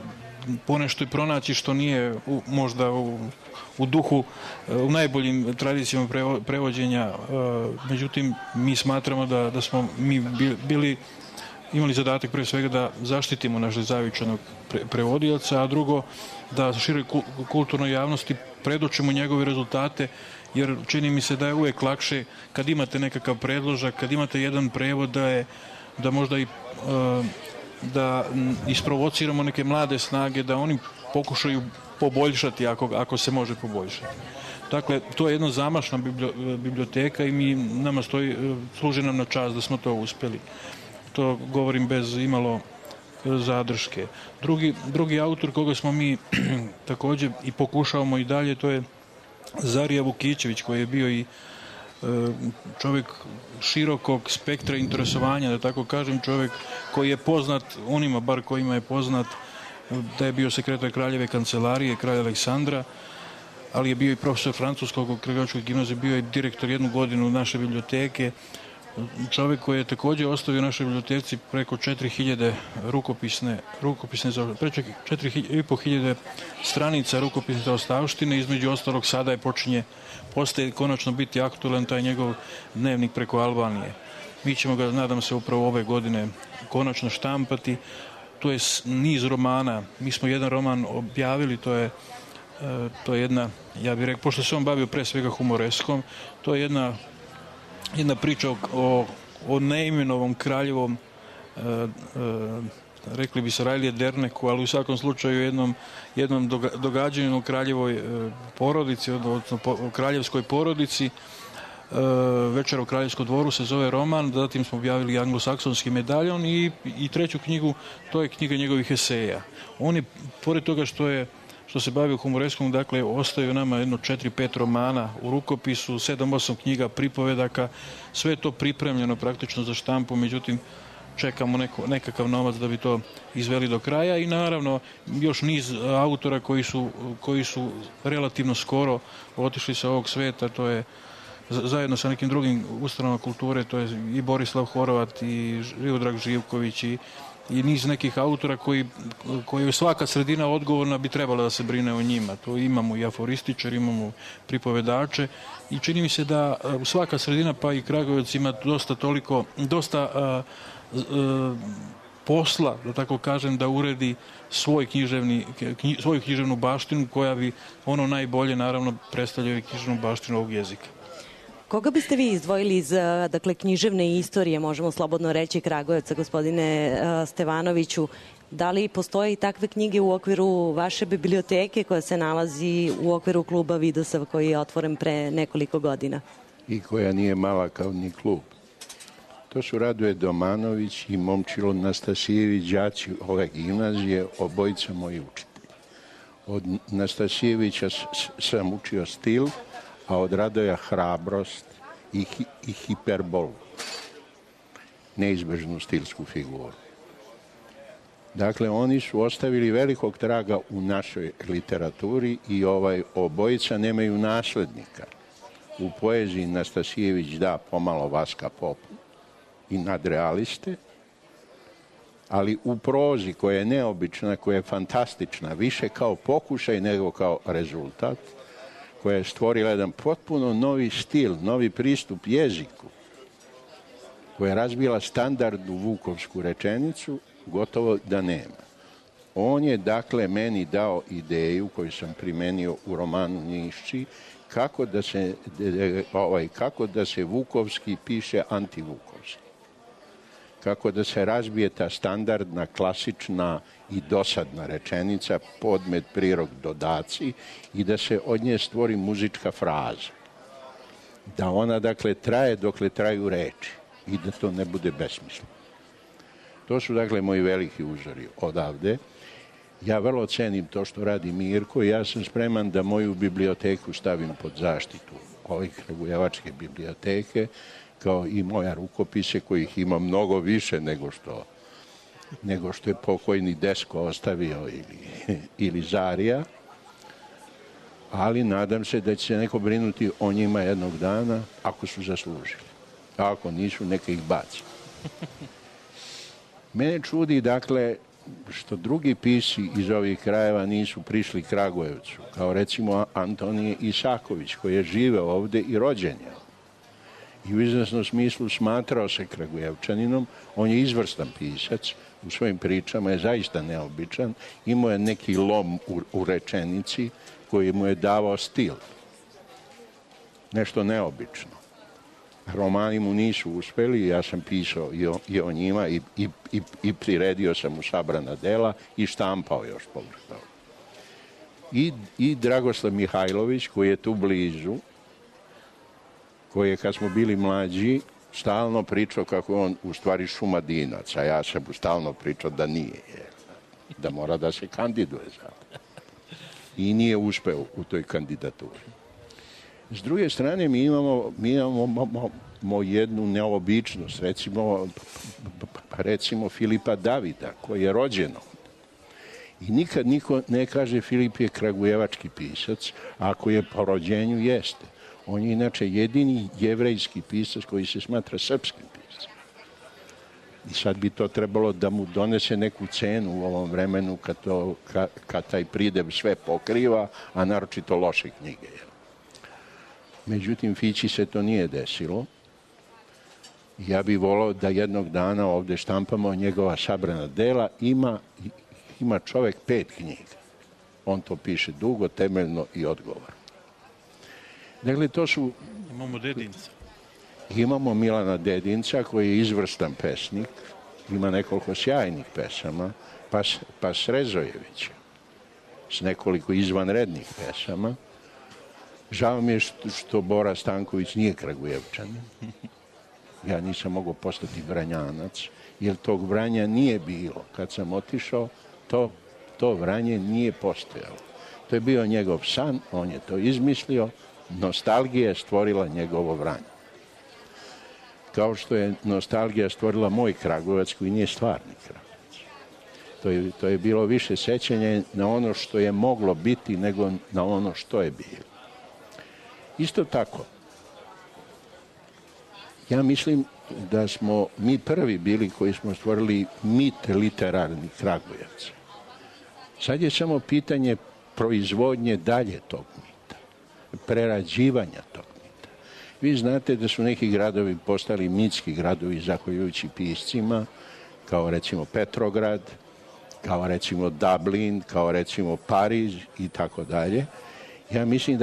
ponešto i pronaći što nije možda u duhu, u najboljim tradicijama prevođenja. Međutim, mi smatramo da smo mi imali zadatak pre svega da zaštitimo našeg zavičajnog prevodioca, a drugo da široj kulturnoj javnosti predočimo njegove rezultate, jer čini mi se da je uvek lakše kad imate nekakav predložak, kad imate jedan prevod da možda i da isprovociramo neke mlade snage, da oni pokušaju poboljšati ako se može poboljšati. Dakle, to je jedna zamašna biblioteka i nama služi nam na čast da smo to uspeli. To govorim bez imalo zadrške. Drugi autor koga smo mi takođe i pokušavamo i dalje, to je Zarija Vukićević, koji je bio i čovjek širokog spektra interesovanja, da tako kažem, čovjek koji je poznat, onima bar kojima je poznat da je bio sekretar kraljeve kancelarije, kralja Aleksandra, ali je bio i profesor francuskog u Kragujevačkoj gimnaziji, bio je direktor 1 godinu naše biblioteke, čovjek koji je također ostavio našoj biblioteci preko 4000 preko 4500 stranica rukopisne zaostavštine, između ostalog sada postaje konačno biti aktualan taj njegov dnevnik preko Albanije. Mi ćemo ga, nadam se, upravo ove godine konačno štampati. To je niz romana. Mi smo jedan roman objavili, to je jedna, ja bih rekao, pošto se on bavio pre svega humoreskom, to je jedna priča o neimenovom kraljevom, rekli bi se Rajlije Derneku, ali u svakom slučaju jednom događanju u kraljevoj porodici, odnosno kraljevskoj porodici. Večer u kraljevskom dvoru se zove roman, zatim smo objavili Anglosaksonski medaljon i treću knjigu, to je knjiga njegovih eseja. On je, pored toga što je što se bavi humoreskom, dakle, ostaju nama jedno 4-5 romana u rukopisu, 7-8 knjiga, pripovedaka, sve je to pripremljeno praktično za štampu, međutim, čekamo nekakav novac da bi to izveli do kraja i naravno još niz autora koji su relativno skoro otišli sa ovog sveta, to je zajedno sa nekim drugim ustanovama kulture, to je i Borislav Horvat i Živodrag Živković i niz nekih autora koji svaka sredina odgovorna bi trebala da se brine o njima. To imamo i aforističar, imamo pripovedače i čini mi se da svaka sredina, pa i Kragujevac, ima dosta posla, da tako kažem, da uredi svoju književnu baštinu koja bi ono najbolje, naravno, predstavljaju književnu baštinu ovog jezika. Koga biste vi izdvojili iz književne istorije, možemo slobodno reći, Kragujevca, gospodine Stevanoviću? Da li postoje i takve knjige u okviru vaše biblioteke koja se nalazi u okviru kluba Vidosov koji je otvoren pre nekoliko godina? I koja nije mala kao ni klub. To su Radoje Domanović i Momčilo Nastasijević, đaci ove gimnazije, obojica moji učitelji. Od Nastasijevića sam učio stil, a od Radoja hrabrost i hiperbolu, neizbežnu stilsku figuru. Dakle, oni su ostavili velikog traga u našoj literaturi i obojica nemaju naslednika. U poeziji Nastasijević da pomalo Vaska Popu i nadrealiste, ali u prozi koja je neobična, koja je fantastična, više kao pokušaj nego kao rezultat, koja je stvorila jedan potpuno novi stil, novi pristup jeziku, koja je razbila standardnu vukovsku rečenicu, gotovo da nema. On je, dakle, meni dao ideju koju sam primenio u romanu Nišći, kako da se vukovski piše antivukovski. Kako da se razbije ta standardna, klasična i dosadna rečenica, podmet, prirok, dodaci i da se od nje stvori muzička fraza. Da ona, dakle, traje dokle traju reči i da to ne bude besmisleno. To su, dakle, moji veliki uzori odavde. Ja vrlo cenim to što radi Mirko i ja sam spreman da moju biblioteku stavim pod zaštitu ovih kragujevačke biblioteke, kao i moja rukopise, kojih ima mnogo više nego što je pokojni Desko ostavio ili Zarija, ali nadam se da će se neko brinuti o njima jednog dana ako su zaslužili. A ako nisu, neka ih baci. Mene čudi, dakle, što drugi pisci iz ovih krajeva nisu prišli Kragujevcu, kao recimo Antonije Isaković, koji je živeo ovde i rođen je. I u izvesnom smislu smatrao se Kragujevčaninom. On je izvrstan pisac, u svojim pričama je zaista neobičan, imao je neki lom u rečenici koji mu je davao stil. Nešto neobično. Romani mu nisu uspeli, ja sam pisao i o njima i priredio sam mu sabrana dela i štampao još povrh toga. I Dragoslav Mihajlović, koji je tu blizu, koji je, kad smo bili mlađi, stalno pričao kako je on u stvari Šumadinac, a ja sam mu stalno pričao da nije, da mora da se kandiduje za to. I nije uspeo u toj kandidaturi. S druge strane, mi imamo jednu neobičnost, recimo Filipa Davida, koji je rođen ovdje. I nikad niko ne kaže Filip je kragujevački pisac, a ako je po rođenju jeste. On je inače jedini jevrejski pisac koji se smatra srpskim pisacom. I sad bi to trebalo da mu donese neku cenu u ovom vremenu kad taj pridev sve pokriva, a naročito loše knjige. Međutim, Fići se to nije desilo. Ja bih volao da jednog dana ovde štampamo njegova sabrana dela. Ima čovek 5 knjiga. On to piše dugo, temeljno i odgovorno. Dakle, to su... Imamo Dedinca. Imamo Milana Dedinca, koji je izvrstan pesnik. Ima nekoliko sjajnih pesama. Pa Srezojevića s nekoliko izvanrednih pesama. Žao mi je što Bora Stanković nije Kragujevčanin. Ja nisam mogao postati Vranjanac, jer tog Vranja nije bilo. Kad sam otišao, to Vranje nije postojalo. To je bio njegov san, on je to izmislio, nostalgija je stvorila njegovo vranje. Kao što je nostalgija stvorila moj Kragujevac koji nije stvarni Kragujevac. To je bilo više sećanje na ono što je moglo biti nego na ono što je bilo. Isto tako, ja mislim da smo mi prvi bili koji smo stvorili mit literarni Kragujevca. Sad je samo pitanje proizvodnje dalje tog mita, prerađivanja tog mita. Vi znate da su neki gradovi postali mitski gradovi zahvaljujući piscima, kao recimo Petrograd, kao recimo Dublin, kao recimo Pariz i tako dalje. Ja mislim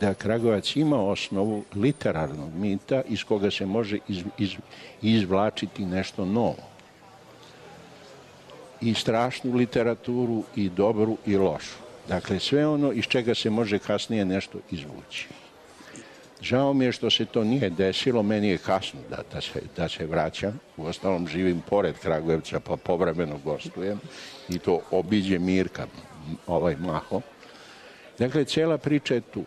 da Kragujevac ima osnovu literarnog mita iz koga se može izvlačiti nešto novo. I strašnu literaturu, i dobru, i lošu. Dakle, sve ono iz čega se može kasnije nešto izvući. Žao mi je što se to nije desilo, meni je kasno da se vraćam. Uostalom živim pored Kragujevca, pa povremeno gostujem i to obiđe Mirka, Maho. Dakle, cijela priča je tu.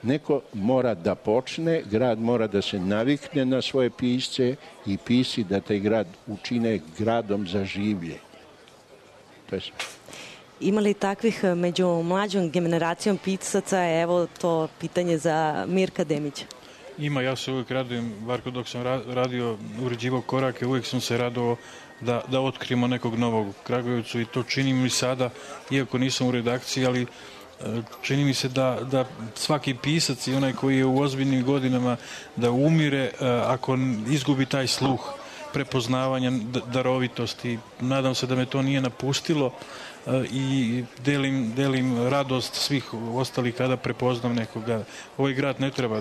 Neko mora da počne, grad mora da se navikne na svoje pisce i pisci da taj grad učine gradom za življenje. To je sve. Ima li takvih među mlađom generacijom pisaca? Evo to pitanje za Mirka Demića. Ima, ja se uvijek radujem, Varko, dok sam uređivao korake, uvijek sam se radovao da otkrijemo nekog novog Kragujevcu i to činim i sada, iako nisam u redakciji, ali čini mi se da svaki pisac i onaj koji je u ozbiljnim godinama da umire ako izgubi taj sluh prepoznavanja, darovitosti. Nadam se da me to nije napustilo i delim radost svih ostalih kada prepoznam nekoga. Ovaj grad ne treba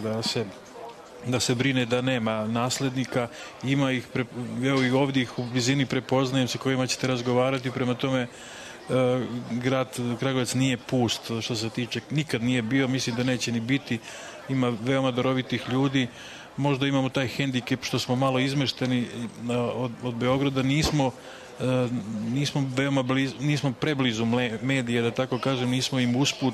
da se brine da nema naslednika, ima ih, evo i ovdje ih u blizini prepoznajem sa kojima ćete razgovarati, prema tome grad Kragujevac nije pust što se tiče, nikad nije bio, mislim da neće ni biti, ima veoma darovitih ljudi, možda imamo taj hendikep što smo malo izmešteni od Beograda, nismo preblizu medije, da tako kažem, nismo im usput,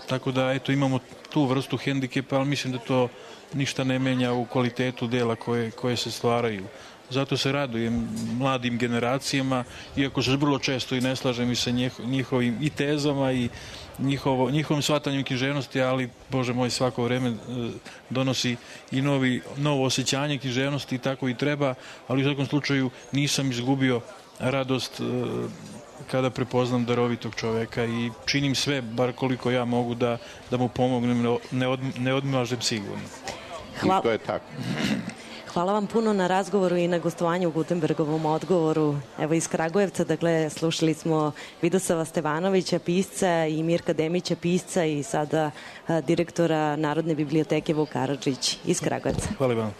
tako da eto imamo tu vrstu hendikepa, ali mislim da to ništa ne menja u kvalitetu dela koje se stvaraju. Zato se radujem mladim generacijama, iako se vrlo često i ne slažem i sa njihovim i tezama i njihovim shvatanjem književnosti, ali, Bože moj, svako vreme donosi i novo osjećanje književnosti i tako i treba, ali u svakom slučaju nisam izgubio radost kada prepoznam darovitog čoveka i činim sve, bar koliko ja mogu da mu pomognem, ne odmažem sigurno. I to je tako. Hvala vam puno na razgovoru i na gostovanju u Gutenbergovom odgovoru. Evo iz Kragujevca, dakle, slušali smo Vidosava Stevanovića, pisca, i Mirka Demića, pisca, i sada direktora Narodne biblioteke Vuk Karadžić iz Kragujevca. Hvala vam.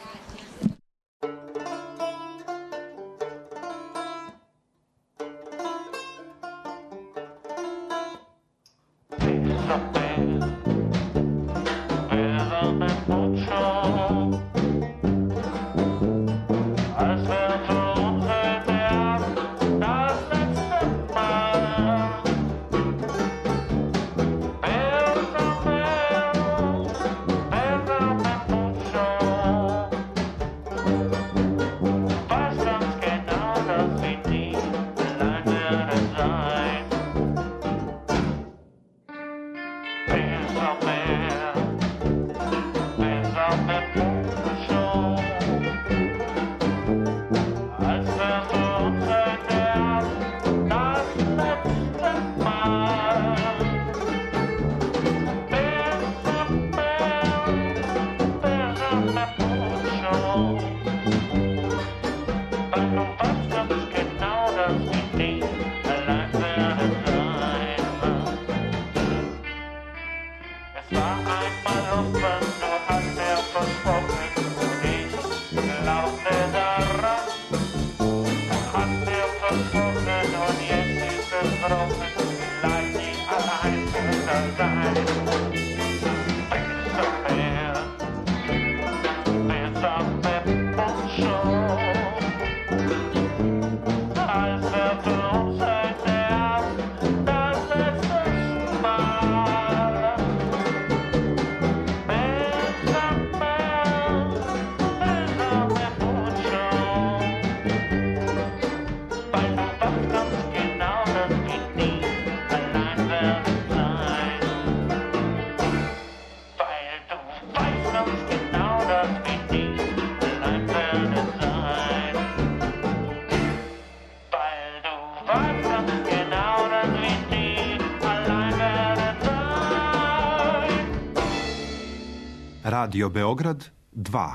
Radio Beograd 2.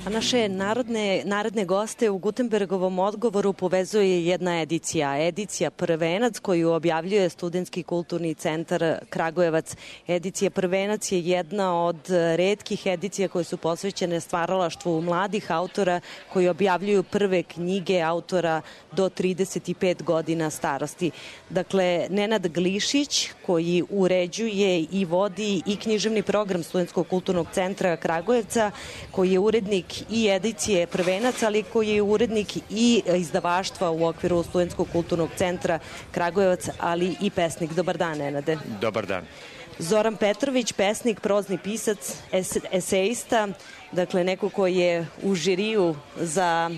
A naše naredne goste u Gutenbergovom odgovoru povezuje jedna edicija Prvenac koju objavljuje Studentski kulturni centar Kragujevac. Edicija Prvenac je jedna od retkih edicija koje su posvećene stvaralaštvu mladih autora koji objavljuju prve knjige autora do 35 godina starosti. Dakle, Nenad Glišić koji uređuje i vodi i književni program Studentskog kulturnog centra Kragujevca, koji je urednik i edicije Prvenac, ali koji je urednik i izdavaštva u okviru Studentskog kulturnog centra Kragujevac, ali i pesnik. Dobar dan, Nenade. Dobar dan. Zoran Petrović, pesnik, prozni pisac, eseista, dakle neko koji je u žiriju za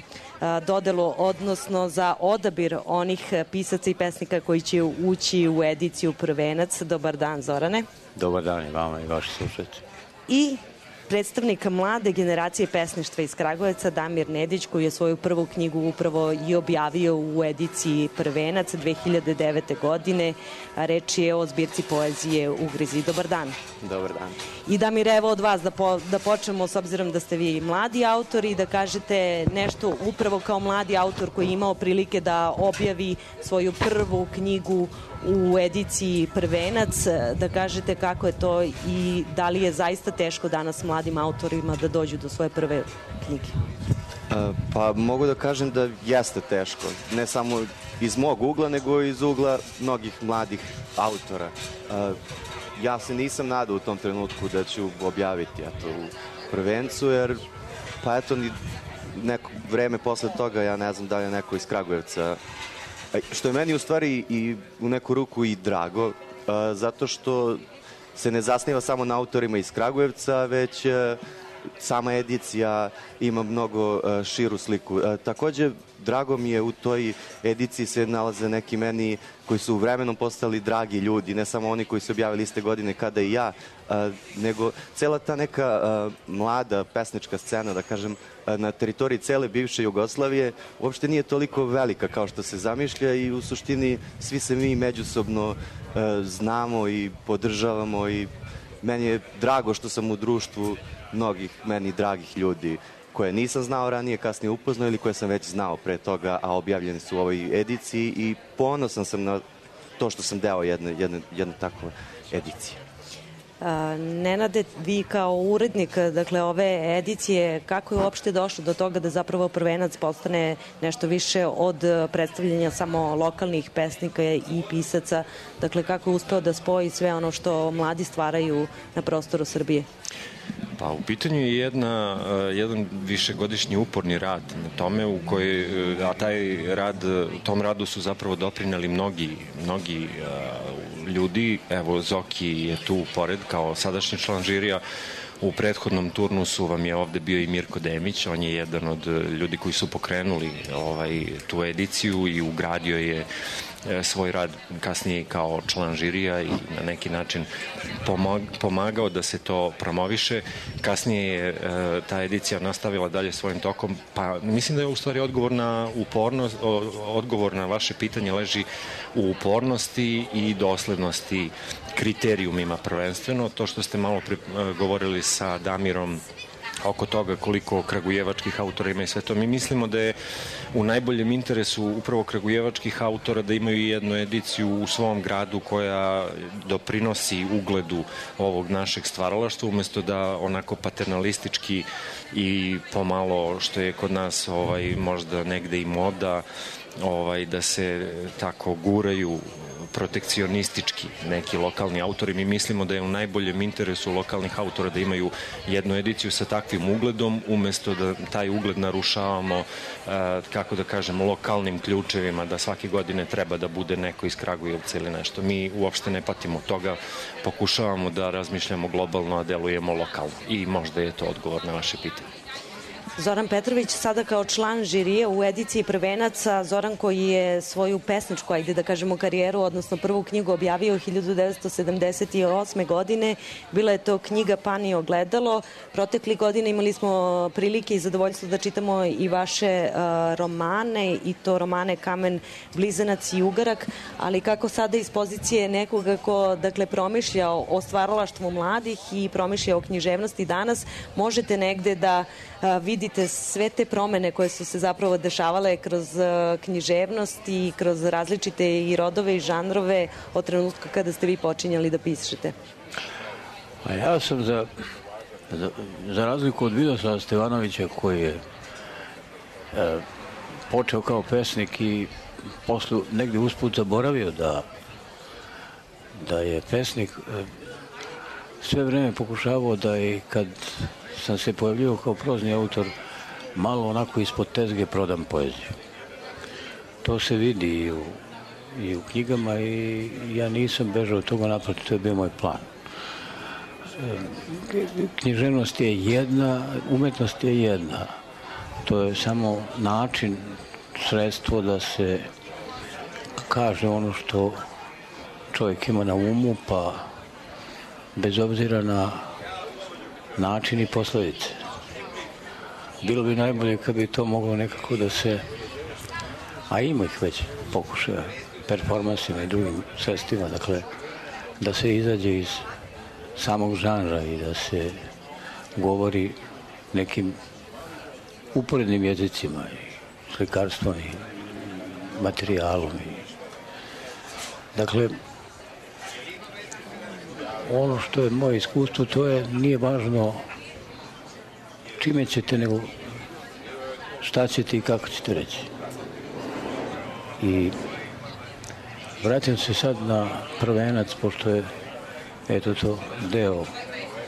dodelu, odnosno za odabir onih pisaca i pesnika koji će ući u ediciju Prvenac. Dobar dan, Zorane. Dobar dan i vama i vaši slušatelji. I predstavnik mlade generacije pesništva iz Kragujevca, Damir Nedić, koji je svoju prvu knjigu upravo i objavio u ediciji Prvenac 2009. godine. Reč je o zbirci poezije Ugrizi. Dobar dan. Dobar dan. I Damir, evo od vas da počnemo, s obzirom da ste vi mladi autori, da kažete nešto upravo kao mladi autor koji je imao prilike da objavi svoju prvu knjigu u ediciji Prvenac, da kažete kako je to i da li je zaista teško danas mladim autorima da dođu do svoje prve knjige? Pa mogu da kažem da jeste teško, ne samo iz mog ugla, nego iz ugla mnogih mladih autora. Ja se nisam nadao u tom trenutku da ću objaviti u Prvencu, jer pa eto ni neko vreme posle toga, ja ne znam da li je neko iz Kragujevca, što je meni u stvari i u neku ruku i drago, zato što se ne zasniva samo na autorima iz Kragujevca, već sama edicija ima mnogo širu sliku. Takođe, drago mi je u toj ediciji se nalaze neki meni koji su vremenom postali dragi ljudi, ne samo oni koji su objavili iste godine kada i ja, nego cela ta neka mlada pesnička scena, da kažem, na teritoriji cele bivše Jugoslavije uopšte nije toliko velika kao što se zamišlja i u suštini svi se mi međusobno znamo i podržavamo i meni je drago što sam u društvu mnogih meni dragih ljudi koje nisam znao ranije, kasnije upoznao ili koje sam već znao pre toga, a objavljeni su u ovoj ediciji i ponosan sam na to što sam deo jedne takve edicije. Nenade, vi kao urednik ove edicije, kako je uopšte došlo do toga da zapravo Prvenac postane nešto više od predstavljanja samo lokalnih pesnika i pisaca? Dakle, kako je uspeo da spoji sve ono što mladi stvaraju na prostoru Srbije? Pa u pitanju je jedan višegodišnji uporni rad na tome u kojoj, a tom radu su zapravo doprineli mnogi ljudi. Evo, Zoki je tu pored kao sadašnji član žirija. U prethodnom turnusu vam je ovde bio i Mirko Demić, on je jedan od ljudi koji su pokrenuli tu ediciju i ugradio je svoj rad kasnije kao član žirija i na neki način pomagao da se to promoviše. Kasnije je ta edicija nastavila dalje svojim tokom, pa mislim da je u stvari odgovor na vaše pitanje leži u upornosti i doslednosti kriterijumima prvenstveno. To što ste malo govorili sa Damirom oko toga koliko kragujevačkih autora ima i sve to. Mi mislimo da je u najboljem interesu upravo kragujevačkih autora da imaju jednu ediciju u svom gradu koja doprinosi ugledu ovog našeg stvaralaštva, umesto da onako paternalistički i pomalo, što je kod nas možda negde i moda, da se tako guraju protekcionistički neki lokalni autori. Mi mislimo da je u najboljem interesu lokalnih autora da imaju jednu ediciju sa takvim ugledom, umesto da taj ugled narušavamo, kako da kažem, lokalnim ključevima, da svake godine treba da bude neko iz Kragujevca ili nešto. Mi uopšte ne patimo toga, pokušavamo da razmišljamo globalno, a delujemo lokalno. I možda je to odgovor na vaše pitanje. Zoran Petrović, sada kao član žirije u ediciji Prvenaca. Zoran koji je svoju pesničku, ajde da kažemo, karijeru, odnosno prvu knjigu objavio 1978. godine. Bila je to knjiga Pan i ogledalo. Protekli godine imali smo prilike i zadovoljstvo da čitamo i vaše romane, i to romane Kamen, Blizanac i Ugarak, ali kako sada iz pozicije nekoga ko, dakle, promišlja o stvaralaštvu mladih i promišlja o književnosti danas, možete negde da vidite sve te promene koje su se zapravo dešavale kroz književnost i kroz različite i rodove i žanrove od trenutka kada ste vi počinjali da pišete? A ja sam za razliku od Vidoslava Stevanovića koji je počeo kao pesnik i posle negde usput zaboravio da je pesnik, sve vreme pokušavao da i kad sam se pojavljivao kao prozni autor malo onako ispod tezge prodam poeziju. To se vidi i u knjigama i ja nisam bežao od toga, naprotiv, to je bio moj plan. Književnost je jedna, umetnost je jedna. To je samo način, sredstvo da se kaže ono što čovjek ima na umu, pa bez obzira na način i posledice. Bilo bi najbolje kad bi to moglo nekako da se, a ima ih već pokušaja, performansima i drugim sredstvima, dakle, da se izađe iz samog žanra i da se govori nekim uporednim jezicima i slikarstvom i materijalom. Dakle, ono što je moje iskustvo, to je, nije važno čime ćete, nego šta ćete i kako ćete reći. I vratim se sad na Prvenac, pošto je eto to deo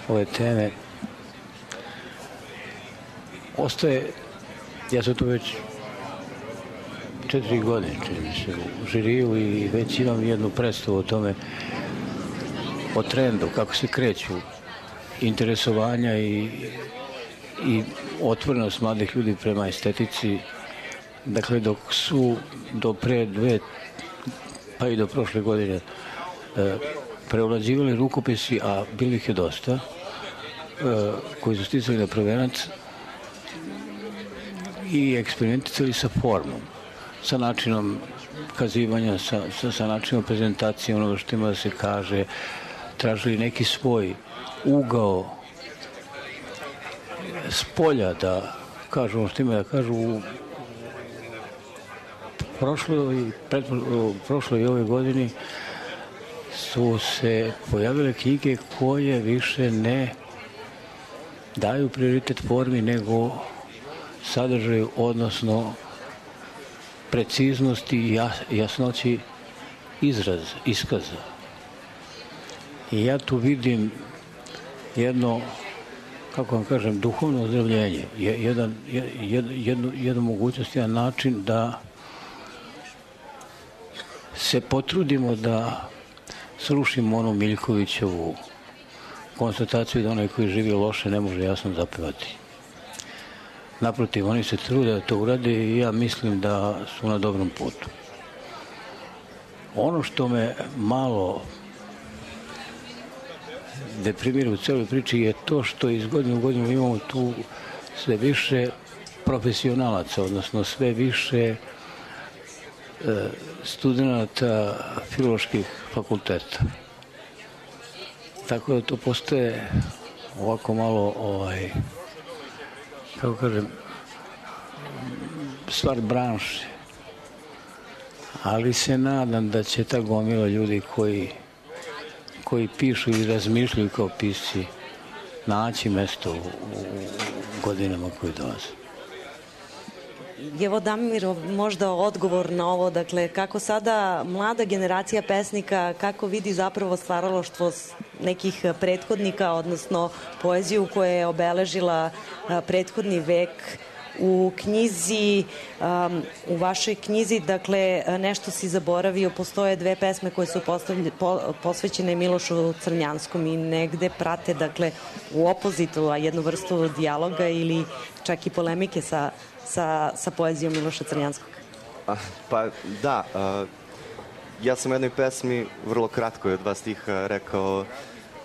ove teme. Ostaje, ja sam tu već 4 godine, čini mi se, u žiriju i već imam jednu predstavu o tome, o trendu, kako se kreću interesovanja i otvorenost mladih ljudi prema estetici. Dakle, dok su do pre 2, pa i do prošle godine preovlađivali rukopisi, a bilo ih je dosta, koji su sticali na Prvenac i eksperimenticali sa formom, sa načinom kazivanja, sa načinom prezentacije onoga što ima da se kaže, tražili neki svoj ugao s polja da kažu ono što ima da kažu. U prošloj i ove godini su se pojavile knjige koje više ne daju prioritet formi nego sadržaju, odnosno preciznosti i jasnoći iskaza. I ja tu vidim jedno, kako vam kažem, duhovno ozdravljenje, jednu mogućnost, jedan način da se potrudimo da srušimo onu Miljkovićevu konstataciju da onaj koji živi loše ne može jasno zapevati. Naprotiv, oni se trude da to urade i ja mislim da su na dobrom putu. Ono što me malo deprimira u celoj priči je to što iz godine u godinu imamo tu sve više profesionalaca, odnosno sve više studenata filoloških fakulteta. Tako da to postaje ovako malo, kako kažem, stvar branše. Ali se nadam da će ta gomila ljudi koji pišu i razmišljaju kao pisci naći mesto u godinama koje dolaze. Evo, Damir, možda odgovor na ovo, dakle, kako sada mlada generacija pesnika, kako vidi zapravo stvaralaštvo nekih prethodnika, odnosno poeziju koja je obeležila prethodni vek, u knjizi, u vašoj knjizi, dakle, nešto si zaboravio, postoje 2 pesme koje su posvećene Milošu Crnjanskom i negde prate, dakle, u opozitu, a jednu vrstu dijaloga ili čak i polemike sa poezijom Miloša Crnjanskog. Pa da, ja sam u jednoj pesmi vrlo kratko od 2 stiha rekao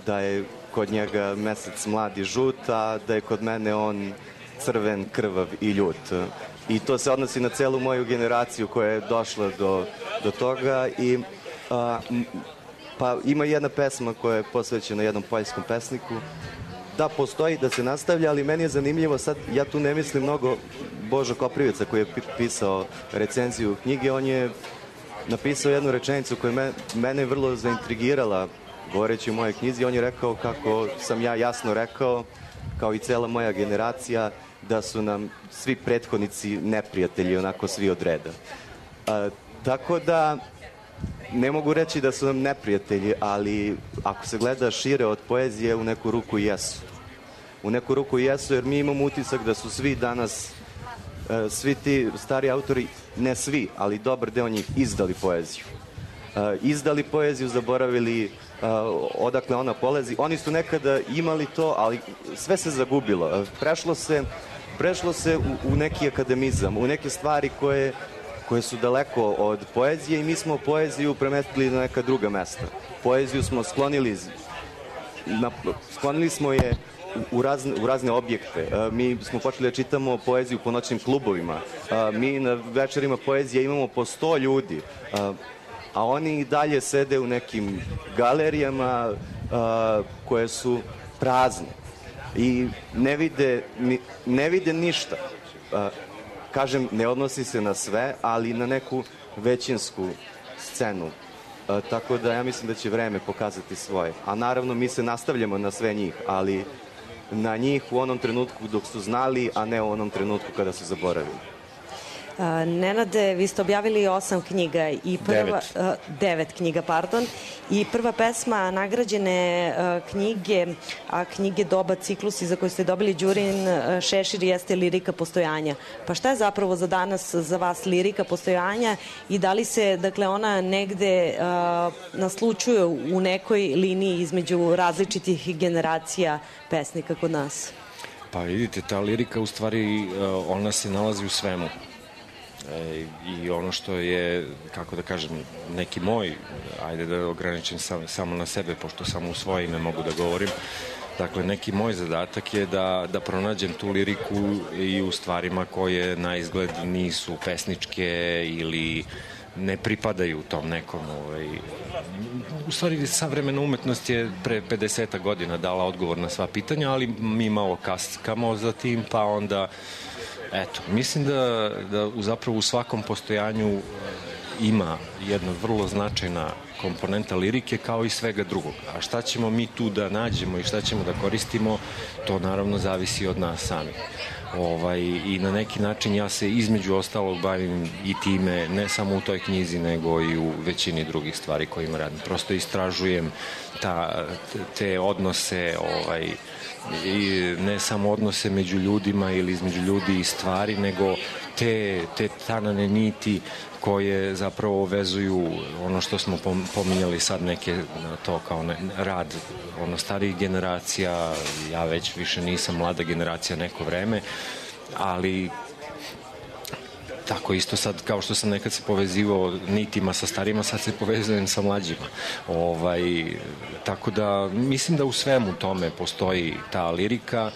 da je kod njega mesec mlad i žut, a da je kod mene on crven, krvav i ljut. I to se odnosi na celu moju generaciju koja je došla do toga i pa ima jedna pesma koja je posvećena jednom poljskom pesniku. Da, postoji, da se nastavlja, ali meni je zanimljivo sad, ja tu ne mislim mnogo Božo Koprivica koji je pisao recenziju knjige, on je napisao jednu rečenicu koja je mene vrlo zaintrigirala govoreći o mojoj knjizi. On je rekao kako sam ja jasno rekao, kao i cela moja generacija, da su nam svi prethodnici neprijatelji, onako svi od reda. Tako da ne mogu reći da su nam neprijatelji, ali ako se gleda šire od poezije, u neku ruku jesu. U neku ruku jesu, jer mi imamo utisak da su svi danas, svi ti stari autori, ne svi, ali dobar deo njih, izdali poeziju. Izdali poeziju, zaboravili odakle ona polazi. Oni su nekada imali to, ali sve se zagubilo. Prešlo se u neki akademizam, u neke stvari koje su daleko od poezije i mi smo poeziju premestili na neka druga mesta. Poeziju smo sklonili smo je u razne objekte. Mi smo počeli da čitamo poeziju po noćnim klubovima. Mi na večerima poezije imamo po 100 ljudi. A oni i dalje sede u nekim galerijama koje su prazne i ne vide ništa. Kažem, ne odnosi se na sve, ali na neku većinsku scenu. Tako da ja mislim da će vreme pokazati svoje. A naravno mi se nastavljamo na sve njih, ali na njih u onom trenutku dok su znali, a ne u onom trenutku kada su zaboravili. Nenade, vi ste objavili 8 knjiga i 9 knjiga, pardon, i prva pesma nagrađene knjige, a knjige Doba ciklusi za koju ste dobili Đurin šešir jeste Lirika postojanja. Pa šta je zapravo za danas za vas lirika postojanja i da li se, dakle, ona negde naslučuje u nekoj liniji između različitih generacija pesnika kod nas? Pa vidite, ta lirika u stvari ona se nalazi u svemu. I ono što je, kako da kažem, neki moj, ajde da ograničim samo na sebe, pošto samo u svoje ime mogu da govorim, dakle, neki moj zadatak je da pronađem tu liriku i u stvarima koje na izgled nisu pesničke ili ne pripadaju tom nekom. U stvari, savremena umetnost je pre 50 godina dala odgovor na sva pitanja, ali mi malo kaskamo za tim, pa onda eto, mislim da zapravo u svakom postojanju ima jedna vrlo značajna komponenta lirike kao i svega drugog. A šta ćemo mi tu da nađemo i šta ćemo da koristimo, to naravno zavisi od nas samih. I na neki način ja se između ostalog bavim i time, ne samo u toj knjizi, nego i u većini drugih stvari kojima radim. Prosto istražujem te odnose, i ne samo odnose među ljudima ili između ljudi i stvari, nego te tanane niti koje zapravo vezuju ono što smo pominjali sad, neke to kao rad starijih generacija. Ja već više nisam mlada generacija neko vreme, ali tako isto sad kao što sam nekad se povezivao nitima sa starima, sad se povezujem sa mlađima. Tako da mislim da u svemu tome postoji ta lirika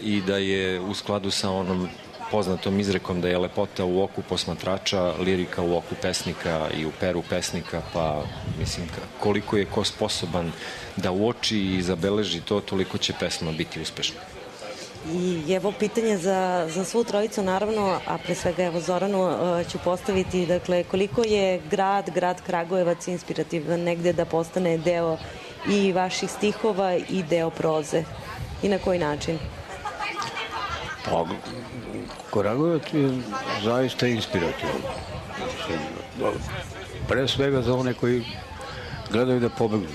i da je u skladu sa onom poznatom izrekom da je lepota u oku posmatrača, lirika u oku pesnika i u peru pesnika, pa mislim koliko je ko sposoban da uoči i zabeleži to, toliko će pesma biti uspešna. I evo pitanje za svu trojicu, naravno, a pre svega evo Zoranu ću postaviti, dakle, koliko je grad Kragujevac inspirativan negde da postane deo i vaših stihova i deo proze i na koji način? Pa, Kragujevac je zaista inspirativan. Pre svega za one koji gledaju da pobegnu.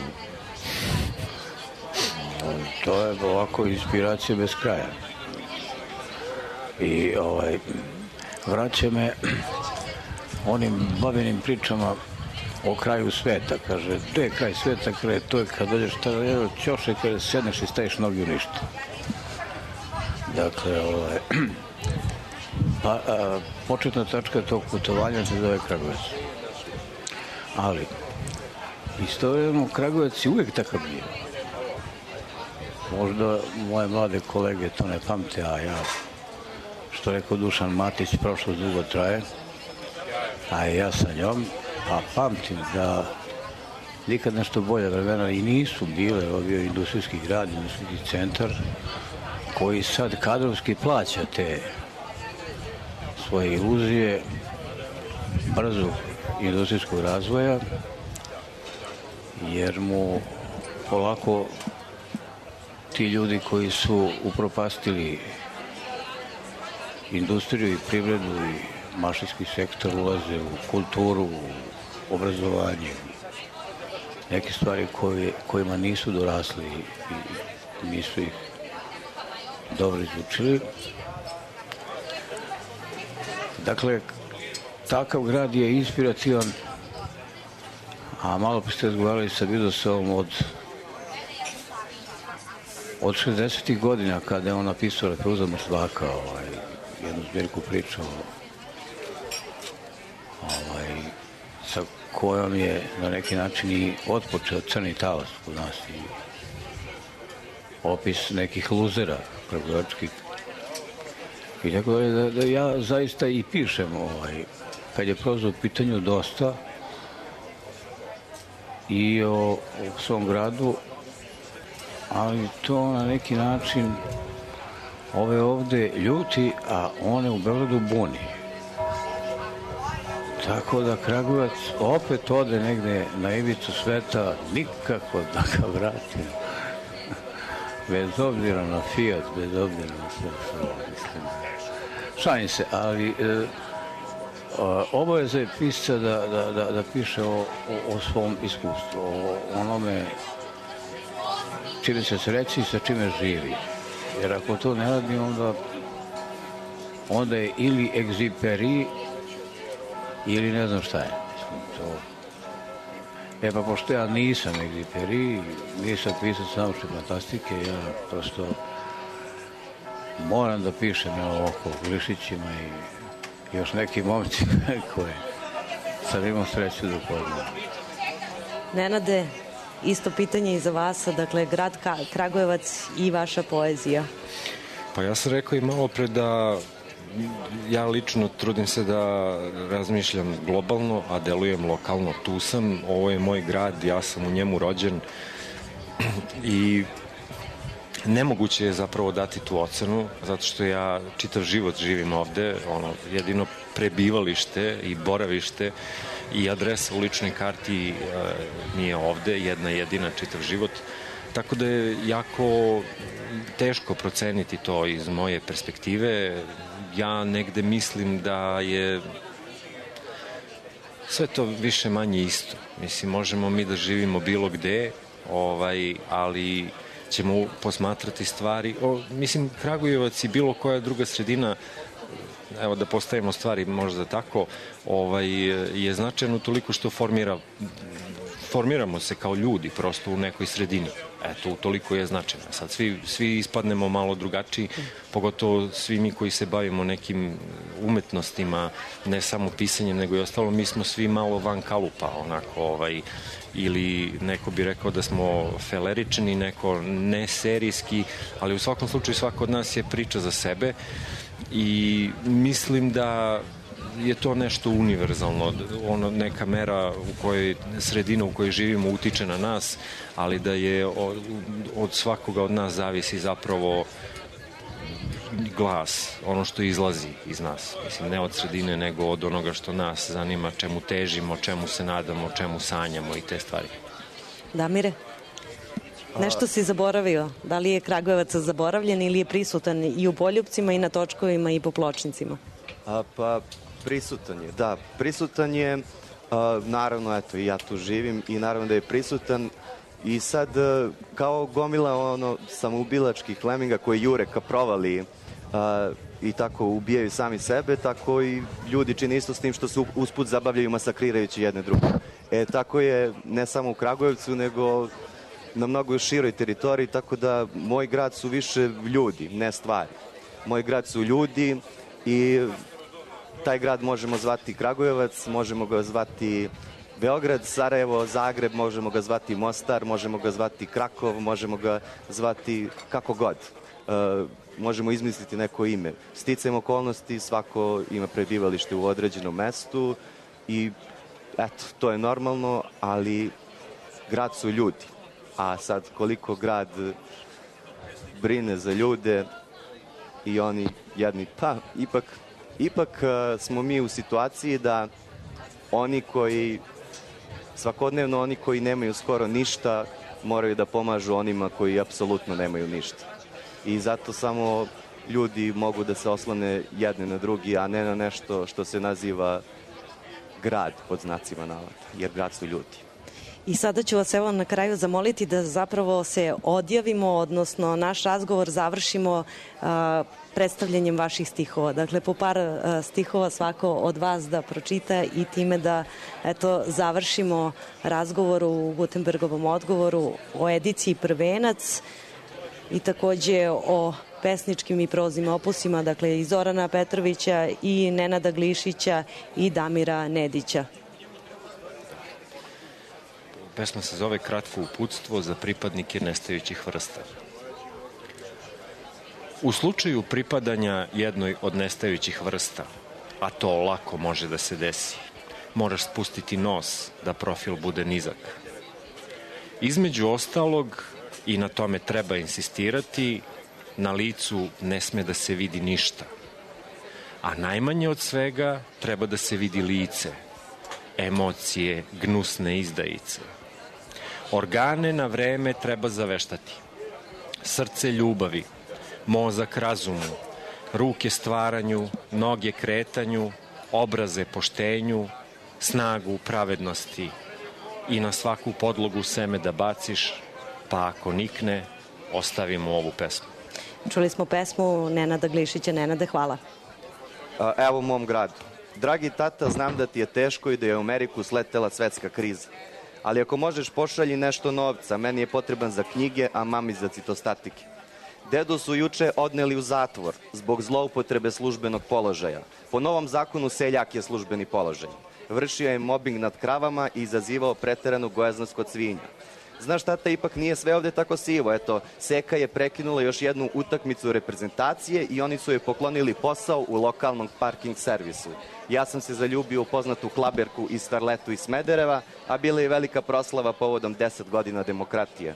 To je ovako inspiracija bez kraja. I vraća me onim babinim pričama o kraju sveta. Kaže, gde je kraj sveta? Kaže, to je kad dođeš tada ćoše, kada sedneš i staviš nogi u ništa. Dakle, početna tačka tog putovanja se zove Kragujevac. Ali, istovremeno Kragujevac je uvijek takav bio. Možda moje mlade kolege to ne pamte, a ja, što rekao Dušan Matić, prošlost dugo traje, a ja sa njom, a pamtim da nikad nešto bolje vremena i nisu bile, ovo bio industrijski grad, industrijski centar, koji sad kadrovski plaća te svoje iluzije brzog industrijskog razvoja, jer mu polako ti ljudi koji su upropastili industriju i privredu i mašinski sektor ulaze u kulturu, u obrazovanje, neke stvari kojima nisu dorasli i nisu ih dobro izučili. Dakle, takav grad je inspirativan, a malo pa ste razgovarali sa Vidosovom od 60. godina kada je on napisao Repriza Mrtvaka, jednu zbirku priča sa kojom je na neki način i otpočeo Crni talas kod nas i opis nekih luzera kragujevačkih. I tako da ja zaista i pišem kad je proza u pitanju dosta i o svom gradu, ali to na neki način ove ovde ljuti, a one u Beogradu buni. Tako da Kragujevac opet ode negde na ivicu sveta, nikako da ga vrati. Bez obzira na Fiat, bez obzira na sve. Šalim se, ali obaveza je pisca da piše o svom iskustvu, o onome čime se sreći i sa čime živi. Jer ako to ne radi, onda je ili egziperi ili ne znam šta je. Pa pošto ja nisam egziperi, nisam pisac naučne fantastike, ja prosto moram da pišem oko Glišićima i još nekim momcima koje sad imam sreću da upoznam. Nenade, isto pitanje i za vas, dakle, grad Kragujevac i vaša poezija. Pa ja sam rekao i malo pre da ja lično trudim se da razmišljam globalno, a delujem lokalno. Tu sam, ovo je moj grad, ja sam u njemu rođen i nemoguće je zapravo dati tu ocenu, zato što ja čitav život živim ovde, jedino prebivalište i boravište i adresa u ličnoj karti nije ovde, jedna jedina čitav život, tako da je jako teško proceniti to iz moje perspektive. Ja negde mislim da je sve to više manje isto. Mislim, možemo mi da živimo bilo gde, ali ćemo posmatrati stvari. Mislim, Kragujevac i bilo koja druga sredina, evo da postavimo stvari možda tako, je značajno toliko što formiramo se kao ljudi prosto u nekoj sredini. Eto, toliko je značajno. Sad svi ispadnemo malo drugačiji, pogotovo svi mi koji se bavimo nekim umetnostima, ne samo pisanjem, nego i ostalo, mi smo svi malo van kalupa, ili neko bi rekao da smo felerični, neko neserijski, ali u svakom slučaju svako od nas je priča za sebe i mislim da je to nešto univerzalno, neka mera u kojoj sredina u kojoj živimo utiče na nas, ali da je od svakoga od nas zavisi zapravo glas, ono što izlazi iz nas. Mislim, ne od sredine, nego od onoga što nas zanima, čemu težimo, čemu se nadamo, čemu sanjamo i te stvari. Damire, nešto si zaboravio. Da li je Kragujevac zaboravljen ili je prisutan i u Poljupcima i na točkovima i po pločnicima? Pa prisutan je, da. Prisutan je, naravno, eto, i ja tu živim i naravno da je prisutan i sad kao gomila samoubilačkih leminga koji jure ka provali i tako ubijaju sami sebe, tako i ljudi čine isto s tim što se usput zabavljaju masakrirajući jedne druge. Tako je ne samo u Kragujevcu, nego na mnogo široj teritoriji, tako da moj grad su više ljudi, ne stvari. Moj grad su ljudi i taj grad možemo zvati Kragujevac, možemo ga zvati Beograd, Sarajevo, Zagreb, možemo ga zvati Mostar, možemo ga zvati Krakov, možemo ga zvati kako god. Možemo izmisliti neko ime. Sticajem okolnosti, svako ima prebivalište u određenom mestu i eto, to je normalno, ali grad su ljudi. A sad koliko grad brine za ljude i oni jedni, pa ipak smo mi u situaciji da oni koji svakodnevno, oni koji nemaju skoro ništa, moraju da pomažu onima koji apsolutno nemaju ništa. I zato samo ljudi mogu da se oslone jedni na drugi, a ne na nešto što se naziva grad pod znacima navoda, jer grad su ljudi. I sada ću vas evo na kraju zamoliti da zapravo se odjavimo, odnosno naš razgovor završimo predstavljanjem vaših stihova. Dakle, po par stihova svako od vas da pročita i time da završimo razgovor u Gutenbergovom odgovoru o ediciji Prvenac i takođe o pesničkim i proznim opusima, dakle i Zorana Petrovića i Nenada Glišića i Damira Nedića. Pesma se zove Kratko uputstvo za pripadnike nestajućih vrsta. U slučaju pripadanja jednoj od nestajućih vrsta, a to lako može da se desi, moraš spustiti nos da profil bude nizak. Između ostalog, i na tome treba insistirati, na licu ne sme da se vidi ništa. A najmanje od svega treba da se vidi lice, emocije, gnusne izdajice. Organe na vreme treba zaveštati. Srce ljubavi, mozak razumu, ruke stvaranju, noge kretanju, obraze poštenju, snagu pravednosti i na svaku podlogu seme da baciš, pa ako nikne, ostavimo ovu pesmu. Čuli smo pesmu Nenada Glišića. Nenade, hvala. Evo u mom gradu. Dragi tata, znam da ti je teško i da je u Ameriku sletela svetska kriza. Ali ako možeš, pošalji nešto novca. Meni je potreban za knjige, a mami za citostatike. Dedu su juče odneli u zatvor zbog zloupotrebe službenog položaja. Po novom zakonu seljak je službeni položaj. Vršio je mobing nad kravama i izazivao preteranu gojaznost kod svinja. Znaš, tata, ipak nije sve ovde tako sivo. Eto, Seka je prekinula još jednu utakmicu reprezentacije i oni su joj poklonili posao u lokalnom parking servisu. Ja sam se zaljubio u poznatu klaberku i starletu iz Smedereva, a bila je velika proslava povodom 10 godina demokratije.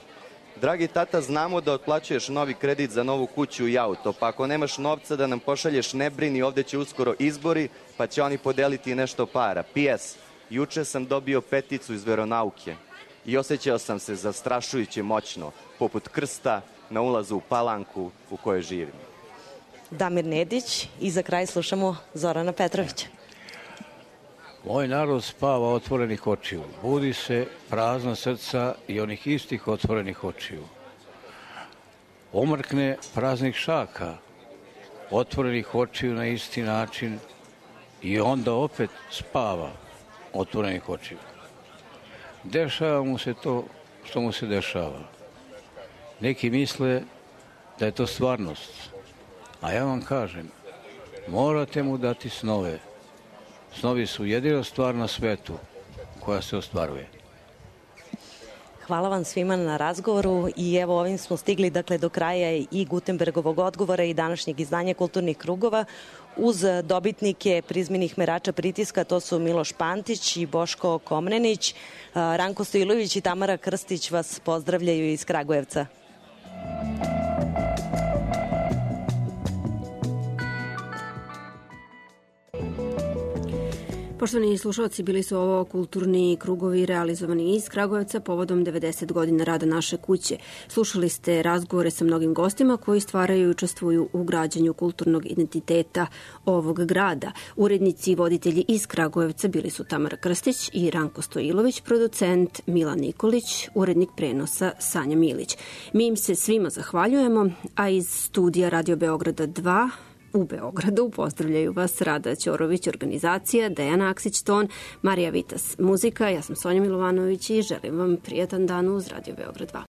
Dragi tata, znamo da otplaćuješ novi kredit za novu kuću i auto, pa ako nemaš novca da nam pošalješ, ne brini, ovde će uskoro izbori, pa će oni podeliti nešto para. PS, juče sam dobio peticu iz veronauke i osjećao sam se zastrašujuće moćno, poput krsta na ulazu u Palanku u kojoj živim. Damir Nedić i za kraj slušamo Zorana Petrovića. Moj narod spava otvorenih očiju, budi se prazna srca i onih istih otvorenih očiju. Omrkne praznih šaka, otvorenih očiju na isti način i onda opet spava otvorenih očiju. Dešava mu se to što mu se dešava. Neki misle da je to stvarnost, a ja vam kažem, morate mu dati snove. Snovi su jedina stvar na svetu koja se ostvaruje. Hvala vam svima na razgovoru i evo ovim smo stigli do kraja i Gutenbergovog odgovora i današnjeg izdanja Kulturnih krugova. Uz dobitnike prizmenih merača pritiska, to su Miloš Pantić i Boško Komnenić. Ranko Stojilović i Tamara Krstić vas pozdravljaju iz Kragujevca. Poštovani slušalci, bili su ovo kulturni krugovi realizovani iz Kragujevca povodom 90 godina rada naše kuće. Slušali ste razgovore sa mnogim gostima koji stvaraju i učestvuju u građenju kulturnog identiteta ovog grada. Urednici i voditelji iz Kragujevca bili su Tamara Krstić i Ranko Stojilović, producent Milan Nikolić, urednik prenosa Sanja Milić. Mi im se svima zahvaljujemo, a iz studija Radio Beograda 2 u Beogradu pozdravljaju vas Rada Ćorović, organizacija, Dejana Aksić-Ton, Marija Vitas, muzika. Ja sam Sonja Milovanović i želim vam prijatan dan uz Radio Beograd 2.